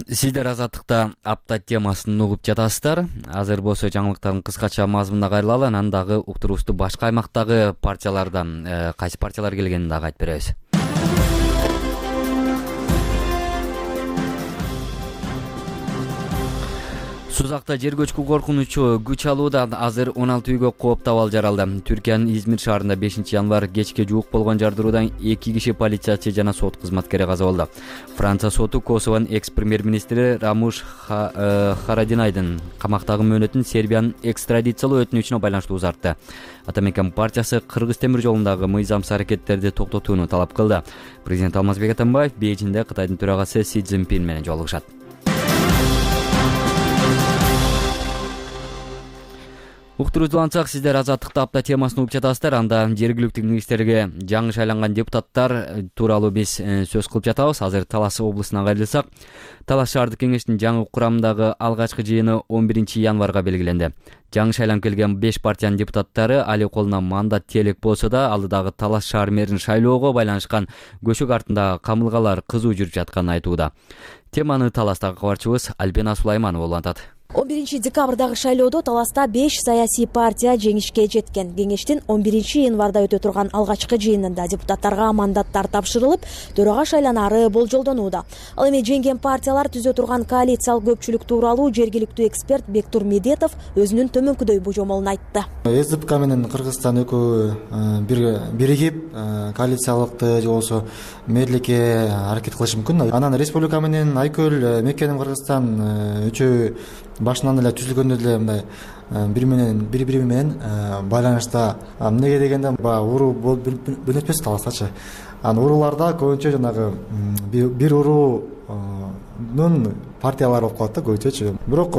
Сиздер Азаттыкта апта темасын угуп жатасыздар. Азыр болсо жаңылыктардын кыскача мазмунуна кайрылалы, анан дагы уктуруубузду башка аймактагы партиялардан кайсы партиялар келгенин дагы айтып беребиз. Сузакта жер көчкү коркунучу күч алууда. Азыр он алты үйгө кооптуу абал жаралды. Түркиянын Измир шаарында бешинчи январь кечке жуук болгон жардыруудан эки киши полициячы жана сот кызматкери каза болду. Франция соту Косовонун экс-премьер-министри Рамуш Харадинайдын камактагы мөөнөтүн Сербиянын экстрадициялоо өтүнүчүнө байланыштуу узартты. Атамекен партиясы Кыргыз темир жолундагы мыйзамсыз аракеттерди токтотууну талап кылды. Президент Алмазбек Атамбаев Бейжиңде Кытайдын төрагасы Си Цзиньпин менен жолугушат. Уктуруубузду ансак, сиздер Азаттыкта апта темасын угуп жатасыздар. Анда жергиликтүү кеңештерге жаңы шайланган депутаттар тууралуу биз сөз кылып жатабыз. Азыр Талас облусуна кайрылсак, Талас шаардык кеңештин жаңы курамындагы алгачкы жыйыны он биринчи январга белгиленди. Жаңы шайланып келген беш партиянын депутаттары али колуна мандат тиелек болсо да, алдыдагы Талас шаар мэрин шайлоого байланышкан көчөк артындагы камылгалар кызуу жүрүп жатканын айтууда. Теманы Таластагы кабарчыбыз Альбина Сулайманова улантат. он биринчи декабрдагы шайлоодо Таласта беш саясий партия жеңишке жеткен. Кеңештин он биринчи январда өтө турган алгачкы жыйынында депутаттарга мандаттар тапшырылып, төрага шайланары болжолдонууда. Ал эми жеңген партиялар түзө турган коалициялык көпчүлүк тууралуу жергиликтүү эксперт Бектур Медетов өзүнүн төмөнкүдөй божомолун айтты. эс дэ пэ ка менен Кыргызстан экөө биригип коалициялыкты же болбосо мэрликке аракет кылышы мүмкүн. Анан республика менен Айкөл, Меккенин Кыргызстан үчөө башынан эле түзүлгөндө деле мындай бири менен бири бири менен байланышта. Эмнеге дегенде баягы уруу бөлүнүп этпес Таластачы. Анан урууларда көбүнчө жанагы бир уруунун партиялары болуп калат да көбүнчөчү. Бирок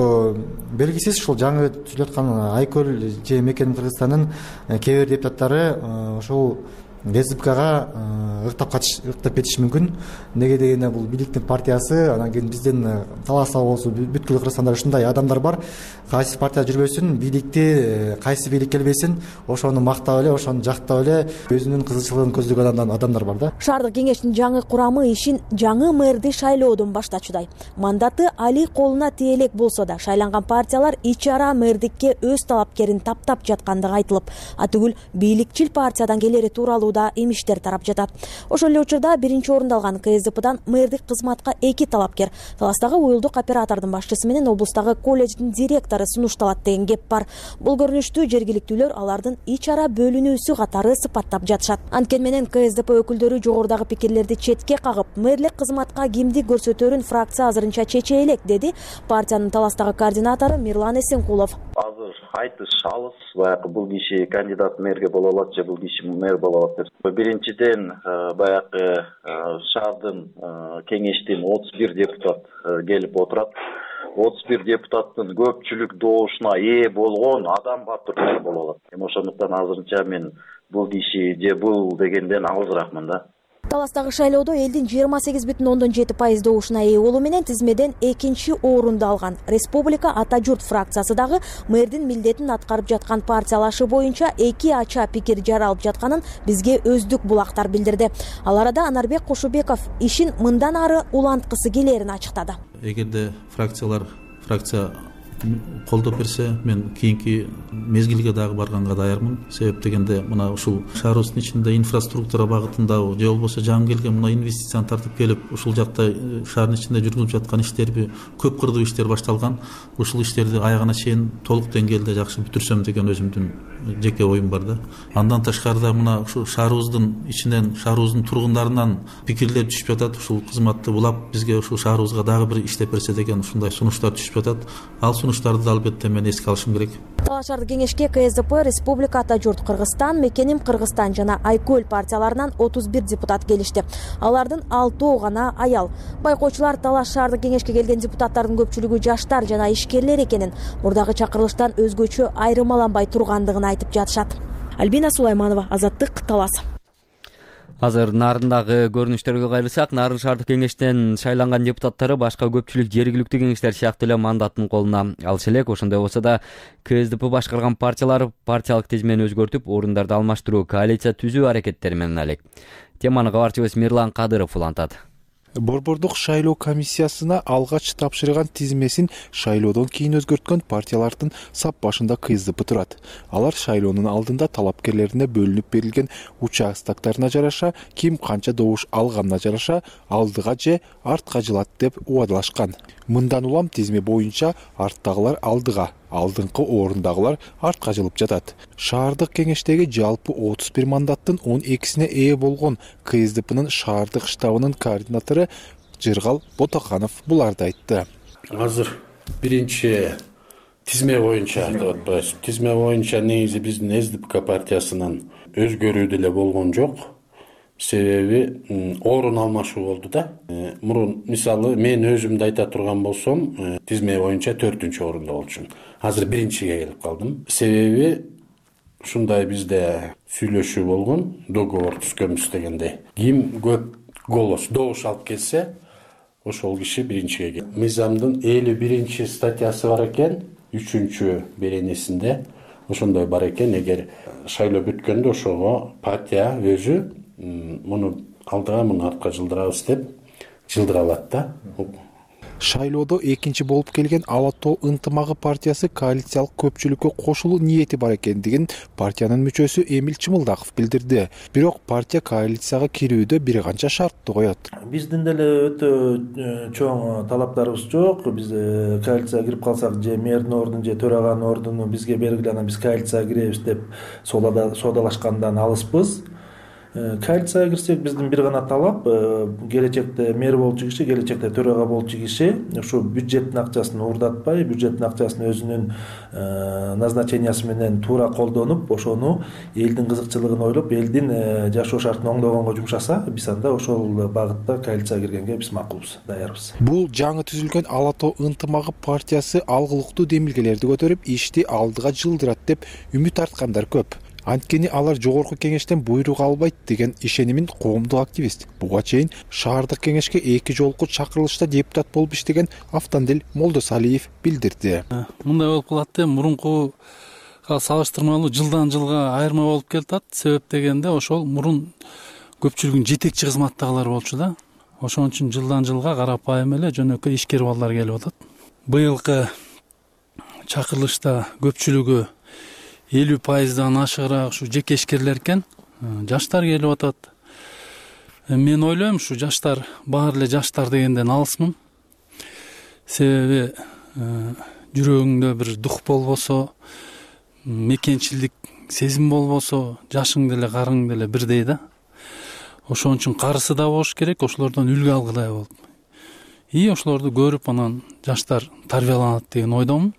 белгисиз ушул жаңы түзүлүп аткан Айкөл же Меккенин Кыргызстандын кээ бир депутаттары ошол эс дэ пэ кага ыктап ыктап кетиши мүмкүн. Неге дегенде бул бийликтин партиясы, анан кийин биздин Таласта болсо бүткүл Кыргызстанда ушундай адамдар бар. Кайсы партия жүрбөсүн, бийликти кайсы бийлик келбесин, ошону мактап эле, ошону жактап эле өзүнүн кызыкчылыгын көздөгөн адамдар бар да. Шаардык кеңештин жаңы курамы ишин жаңы мэрди шайлоодон баштачудай. Мандаты али колуна тиелек болсо да, шайланган партиялар ич ара мэрдикке өз талапкерин таптап жаткандыгы айтылып, атүгүл бийликчил партиядан келери тууралуу уурда имиштер тарап жатат. Ошол эле учурда биринчи орунду алган КСДПдан мэрдик кызматка эки талапкер, Таластагы уюлдук оператордун башчысы менен облустагы колледждин директору сунушталат деген кеп бар. Бул көрүнүштү жергиликтүүлөр алардын ич ара бөлүнүүсү катары сыпаттап жатышат. Анткени менен КСДП өкүлдөрү жогорудагы пикирлерди четке кагып, мэрлик кызматка кимди көрсөтөрүн фракция азырынча чече элек, деди партиянын Таластагы координатору Мирлан Эсенкулов. Азыр айтыш алыс, баягы бул киши кандидат мэрге боло алат же бул киши мэр боло алат деп. Биринчиден баягы шаардын кеңештин отуз бир депутат келип отурат. отуз бир депутаттын көпчүлүк добушуна ээ болгон адам батыр мэр боло алат. Эми ошондуктан азырынча мен бул киши же бул дегенден алысыракмын да. Таластагы шайлоодо элдин жыйырма сегиз бүтүн ондон жети пайыз добушуна ээ болуу менен тизмеден экинчи орунду алган Республика Ата журт фракциясы дагы мэрдин милдетин аткарып жаткан партиялашы боюнча эки ача пикир жаралып жатканын бизге өздүк булактар билдирди. Ал арада Анарбек Кошубеков ишин мындан ары уланткысы келерин ачыктады. Эгерде фракциялар фракция колдоп берсе, мен кийинки мезгилге дагы барганга даярмын. Себеп дегенде мына ушул шаарыбыздын ичинде инфраструктура багытындабы же болбосо жаңы келген мына инвестицияны тартып келип, ушул жакта шаардын ичинде жүргүзүлүп жаткан иштерби көп кырдуу иштер башталган. Ушул иштерди аягына чейин толук деңгээлде жакшы бүтүрсөм деген өзүмдүн жеке оюм бар да. Андан тышкарыда мына ушул шаарыбыздын ичинен, шаарыбыздын тургундарынан пикирлер түшүп жатат. Ушул кызматты булап, бизге ушул шаарыбызга дагы бир иштеп берсе деген ушундай сунуштар түшүп жатат. Ал сунуштарды албетте мен эске алышым керек. Талаш шаардык кеңешке КСДП, Республика Ата журт Кыргызстан, Мекеним Кыргызстан жана Айкөл партияларынан отуз бир депутат келишти. Алардын алтоо гана аял. Байкоочулар Талаш шаардык кеңешке келген депутаттардын көпчүлүгү жаштар жана ишкерлер экенин, мурдагы чакырылыштан өзгөчө айырмаланбай тургандыгын айтып жатышат. Альбина Сулайманова, Азаттык, Талас. Азыр Нарындагы көрүнүштөргө кайрылсак, Нарын шаардык кеңештен шайланган депутаттары башка көпчүлүк жергиликтүү кеңештер сыяктуу эле мандатын колуна алышы элек. Ошондой болсо да КСДП башкарган партиялар партиялык тизмени өзгөртүп, орундарды алмаштыруу, коалиция түзүү аракеттери менен алек. Теманы кабарчыбыз Мирлан Кадыров улантат. Борбордук шайлоо комиссиясына алгач тапшырган тизмесин шайлоодон кийин өзгөрткөн партиялардын сап башында КСДП турат. Алар шайлоонун алдында талапкерлерине бөлүнүп берилген участоктарына жараша, ким канча добуш алганына жараша алдыга же артка жылат деп убадалашкан. Мындан улам тизме боюнча арттагылар алдыга, алдыңкы орундагылар артка жылып жатат. Шаардык кеңештеги жалпы отуз бир мандаттын он экисине ээ болгон КСДПнын шаардык штабынын координатору Жыргал Ботоканов буларды айтты. Азыр биринчи тизме боюнча деп атпайбыз. Тизме боюнча негизи биздин СДПК партиясынын өзгөрүү деле болгон жок. Себеби орун алмашуу болду да. Мурун мисалы мен өзүмдү айта турган болсом, тизме боюнча төртүнчү орунда болчумун. Азыр биринчиге келип калдым. Себеби ушундай бизде сүйлөшүү болгон, договор түзгөнбүз дегендей. Ким көп голос, добуш алып келсе, ошол киши биринчиге келет. Мыйзамдын элүү биринчи статьясы бар экен, үчүнчү беренесинде ошондой бар экен. Эгер шайлоо бүткөндө ошого партия өзү муну алдыга, муну артка жылдырабыз деп жылдыра алат да. Шайлоодо экинчи болуп келген Ала тоо ынтымагы партиясы коалициялык көпчүлүккө кошулуу ниети бар экендигин партиянын мүчөсү Эмил Чымылдаков билдирди. Бирок партия коалицияга кирүүдө бир канча шарттуу коет. Биздин деле өтө чоң талаптарыбыз жок. Биз коалицияга кирип калсак, же мэрдин ордун же төраганын ордуну бизге бергиле, анан биз коалицияга киребиз деп соодалашкандан алыспыз. Коалицияга кирсек, биздин бир гана талап келечекте мэр болчу киши, келечекте төрага болчу киши ушу бюджеттин акчасын уурдатпай, бюджеттин акчасын өзүнүн назначениясы менен туура колдонуп, ошону элдин кызыкчылыгын ойлоп, элдин жашоо шартын оңдогонго жумшаса, биз анда ошол багытта коалицияга киргенге биз макулбуз, даярбыз. Бул жаңы түзүлгөн Ала тоо ынтымагы партиясы алгылыктуу демилгелерди көтөрүп, ишти алдыга жылдырат деп үмүт арткандар көп. Анткени алар жогорку кеңештен буйрук албайт деген ишенимин коомдук активист, буга чейин шаардык кеңешке эки жолку чакырылышта депутат болуп иштеген Автандил Молдосалиев билдирди. Мындай болуп калат да, мурункуга салыштырмалуу жылдан жылга айырма болуп келатат. Себеп дегенде ошол мурун көпчүлүгүн жетекчи кызматтагылар болчу да. Ошон үчүн жылдан жылга карапайым эле жөнөкөй ишкер балдар келип атат. Быйылкы чакырылышта көпчүлүгү элүү пайыздан ашыгыраак ушу жеке ишкерлер экен. жаштар келип атат. Мен ойлойм ушу жаштар баары эле жаштар дегенден алысмын. Себеби жүрөгүңдө бир дух болбосо, мекенчилдик сезим болбосо, жашың деле карың деле бирдей да. Ошон үчүн карысы да болуш керек, ошолордон үлгү алгыдай болуп. И ошолорду көрүп анан жаштар тарбияланат деген ойдомун.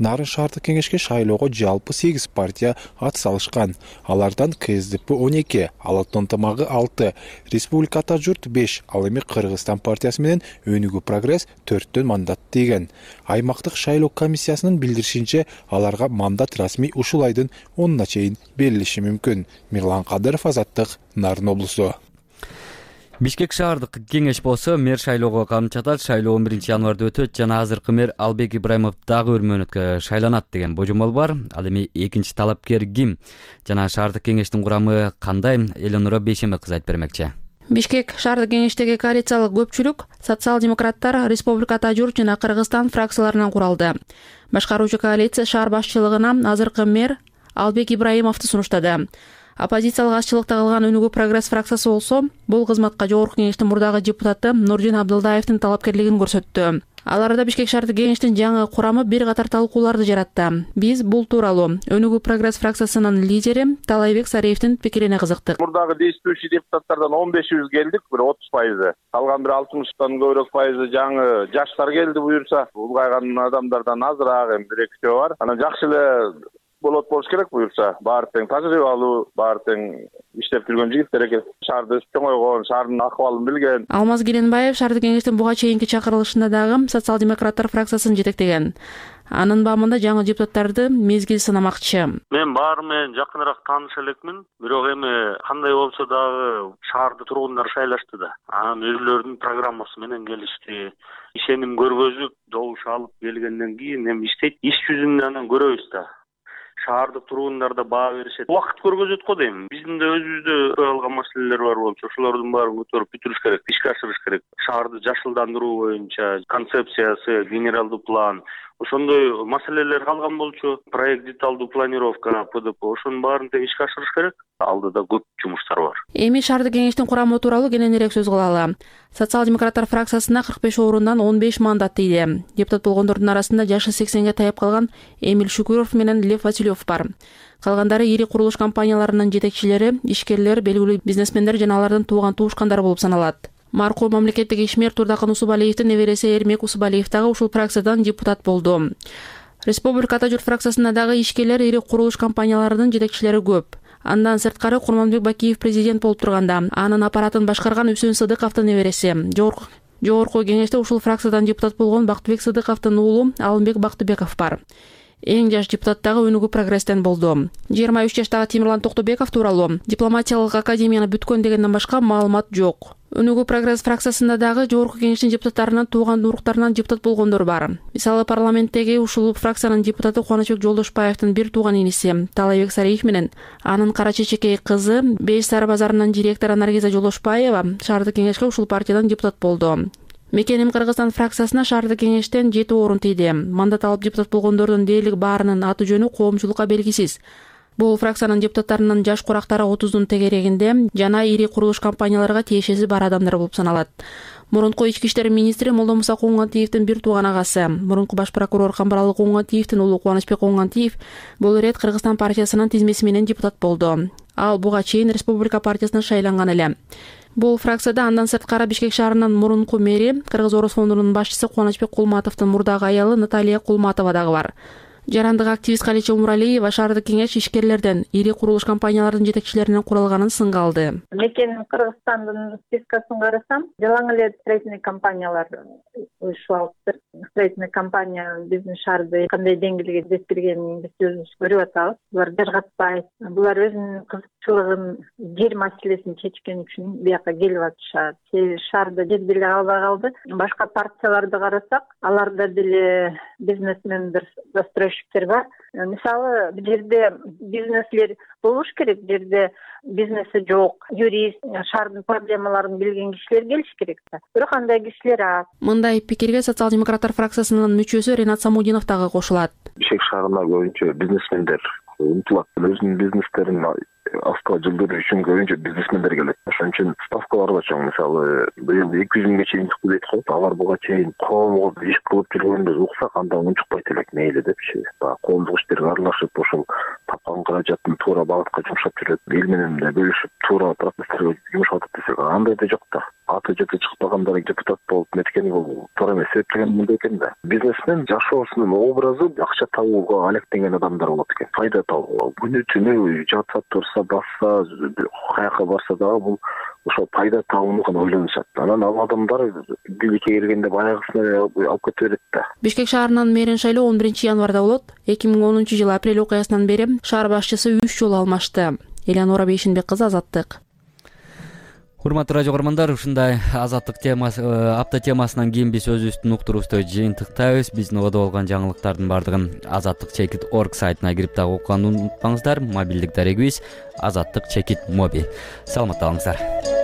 Нарын шаардык кеңешке шайлоого жалпы сегиз партия ат салышкан. Алардан ка эс дэ пэ он эки, Ала Ата ынтымагы алты, Республика Ата журт беш, ал эми Кыргызстан партиясы менен Өнүгүү прогресс төрттөн мандат тийген. Аймактык шайлоо комиссиясынын билдиришинче, аларга мандат расмий ушул айдын онуна чейин берилиши мүмкүн. Мирлан Кадыров, Азаттык, Нарын облусу. Бишкек шаардык кеңеш болсо мэр шайлоого камчатат. Шайлоо он биринчи январда өтөт жана азыркы мэр Албек Ибраимов дагы өрмөнөткө шайланат деген божомол бар. Ал эми экинчи талапкер ким жана шаардык кеңештин курамы кандай? Эленора Бейшембек кызы айтып бермекчи. Бишкек шаардык кеңештеги коалициялык көпчүлүк социал-демократтар, Республика Ата журт жана Кыргызстан фракцияларынан куралды. Башкаруучу коалиция шаар башчылыгына азыркы мэр Албек Ибраимовду сунуштады. Оппозициялык азчылыкта калган Өнүгүү прогресс фракциясы болсо, бул кызматка жогорку кеңештин мурдагы депутаты Нурдин Абдылдаевдин талапкерлигин көрсөттү. Ал арада Бишкек шаардык кеңештин жаңы курамы бир катар талкууларды жаратты. Биз бул тууралуу Өнүгүү прогресс фракциясынын лидери Талайбек Сариевдин пикирине кызыктык. Мурдагы действующий депутаттардан он бешибиз келдик, бир отуз пайызы. Калган бир алтымыштан көбүрөөк пайызы жаңы жаштар келди буюрса. Улгайган адамдардан азыраак, эми бир экөө бар. Анан жакшы эле болот болуш керек буюрса. Баары тең тажрыйбалуу, баары тең иштеп жүргөн жигиттер экен. Шаарды чоңойгон, шаардын акыбалын билген. Алмаз Керенбаев шаардык кеңештин буга чейинки чакырылышында дагы социал-демократтар фракциясын жетектеген. Анын бамында жаңы депутаттарды мезгил сынамакчы. Мен баары менен жакыныраак тааныш элекмин, бирок эми кандай болсо дагы шаарды тургундар шайлашты да. Анан өзүлөрүнүн программасы менен келишти. Ишеним көргөзүп, добуш алып келгенден кийин эми иштейт. Иш жүзүндө анан көрөбүз да. Шаардык тургундар да баа беришет. Убакыт көргөзөт го дейм. Биздин да өзүбүздө алган маселелер бар болчу. Ошолордун баарын көтөрүп бүтүрүш керек, ишке ашырыш керек. Шаарды жашылдандыруу боюнча концепциясы, генералдуу план, ошондой маселелер калган болчу. Проект деталдуу планировка, пэ дэ пэ, ошонун баарын тең ишке ашырыш керек. Алдыда көп жумуштар бар. Эми шаардык кеңештин курамы тууралуу кененирээк сөз кылалы. Социал-демократтар фракциясына кырк беш орундан он беш мандат тийди. Депутат болгондордун арасында жашы сексенге таяп калган Эмиль Шүкүров менен Лев Василев бар. Калгандары ири курулуш компанияларынын жетекчилери, ишкерлер, белгилүү бизнесмендер жана алардын тууган туушкандары болуп саналат. Маркум мамлекеттик ишмер Турдакын Усубалиевдин небереси Эрмек Усубалиев дагы ушул фракциядан депутат болду. Республика Ата журт фракциясында дагы ишкерлер, ири курулуш компанияларынын жетекчилери көп. Андан сырткары Курманбек Бакиев президент болуп турганда, анын аппаратын башкарган Үсөн Сыдыковдун небереси. Жогорку жогорку кеңеште ушул фракциядан депутат болгон Бактыбек Сыдыковдун уулу Алымбек Бактыбеков бар. Эң жаш депутат дагы Өнүгүү прогресстен болду. жыйырма үч жаштагы Темирлан Токтобеков тууралуу дипломатиялык академияны бүткөн дегенден башка маалымат жок. Өнүгүү прогресс фракциясында дагы жогорку кеңештин депутаттарынын тууган уруктарынан депутат болгондор бар. Мисалы парламенттеги ушул фракциянын депутаты Кубанычбек Жолдошбаевдин бир тууган иниси Талайбек Сариев менен анын кара чечекей кызы Беш Сары базарынын директору Наргиза Жолдошбаева шаардык кеңешке ушул партиядан депутат болду. Мекеним Кыргызстан фракциясына шаардык кеңештен жети орун тийди. Мандат алып депутат болгондордун дээрлик баарынын аты жөнү коомчулукка белгисиз. Бул фракциянын депутаттарынын жаш курактары отуздун тегерегинде жана ири курулуш компанияларга тиешеси бар адамдар болуп саналат. Мурунку ички иштер министри Молдомуса Куугантиевдин бир тууган агасы, мурунку баш прокурор Камбаралы Куугантиевдин уулу Кубанычбек Куугантиев бул ирет Кыргызстан партиясынын тизмеси менен депутат болду. Ал буга чейин Республика партиясына шайланган эле. Бул фракцияда андан сырткары Бишкек шаарынын мурунку мэри, Кыргыз Орус фондунун башчысы Кубанычбек Кулматовдун мурдагы аялы Наталья Кулматова дагы бар. Жарандык активист Калича Умуралиева шаардык кеңеш ишкерлерден, ири курулуш компаниялардын жетекчилеринен куралганын сынга алды. Мекен Кыргызстандын спискасын карасам, жалаң эле строительный компаниялар уюштуруп, строительный компания биздин шаарды кандай деңгээлге жеткиргенин биз өзүбүз көрүп атабыз. Булар жыргатпайт, булар өзүнүн кызыкчылыгын, жер маселесин чечкен үчүн бияка келип атышат. Шаарда жер деле калбай калды. Башка партияларды карасак, аларда деле бизнесмендер застройщиктер бар. Мисалы, бул жерде бизнеслер болуш керек, бул жерде бизнеси жок, юрист, шаардын проблемаларын билген кишилер келиш керек да. Бирок андай кишилер аз. Мындай пикирге социал-демократтар фракциясынын мүчөсү Ренат Самудинов дагы кошулат. Бишкек шаарына көбүнчө бизнесмендер умтулат, өзүнүн бизнестерин автоа жылдыруу үчүн көбүнчө бизнесмендер келет. Ошон үчүн ставкалар да чоң. Мисалы быйыл эки жүз миңге чейин дейт го. Алар буга чейин коомго иш кылып жүргөндө уксак анда унчукпайт элек мейли депчи. Баягы коомдук иштерге аралашып, ошол тапкан каражатын туура багытка жумшап жүрөт. Эл менен да бөлүшүп, туура процесстерге жумшап атат десек, андай да жок да. Аты жөтү чыкпагандар депутат болуп неткени бул туура эмес. Себептеген мындай экен да. Бизнесмен жашоосунун образы акча табууга алектенген адамдар болот экен. Пайда табууга. Күнү түнү жатса, турса, басса, каяка барса дагы бул ошол пайда табууну гана ойлонушат. Анан ал адамдар бийликке келгенде баягысына алып кете берет да. Бишкек шаарынын мэрин шайлоо он биринчи январда болот. эки миң онунчу жылы апрель окуясынан бери шаар башчысы үч жолу алмашты. Элеонора Бейшенбек кызы, Азаттык. Урматтуу радио көрөрмандар, ушундай азаттык темасы, апта темасынан кийин биз өзүбүздүн уктуруубузду жыйынтыктайбыз. Биздин ободо болгон жаңылыктардын баардыгын азаттык чекит точка орг сайтына кирип дагы окуганды унутпаңыздар. Мобилдик дарегибиз азаттык чекит моби. Саламатта калыңыздар.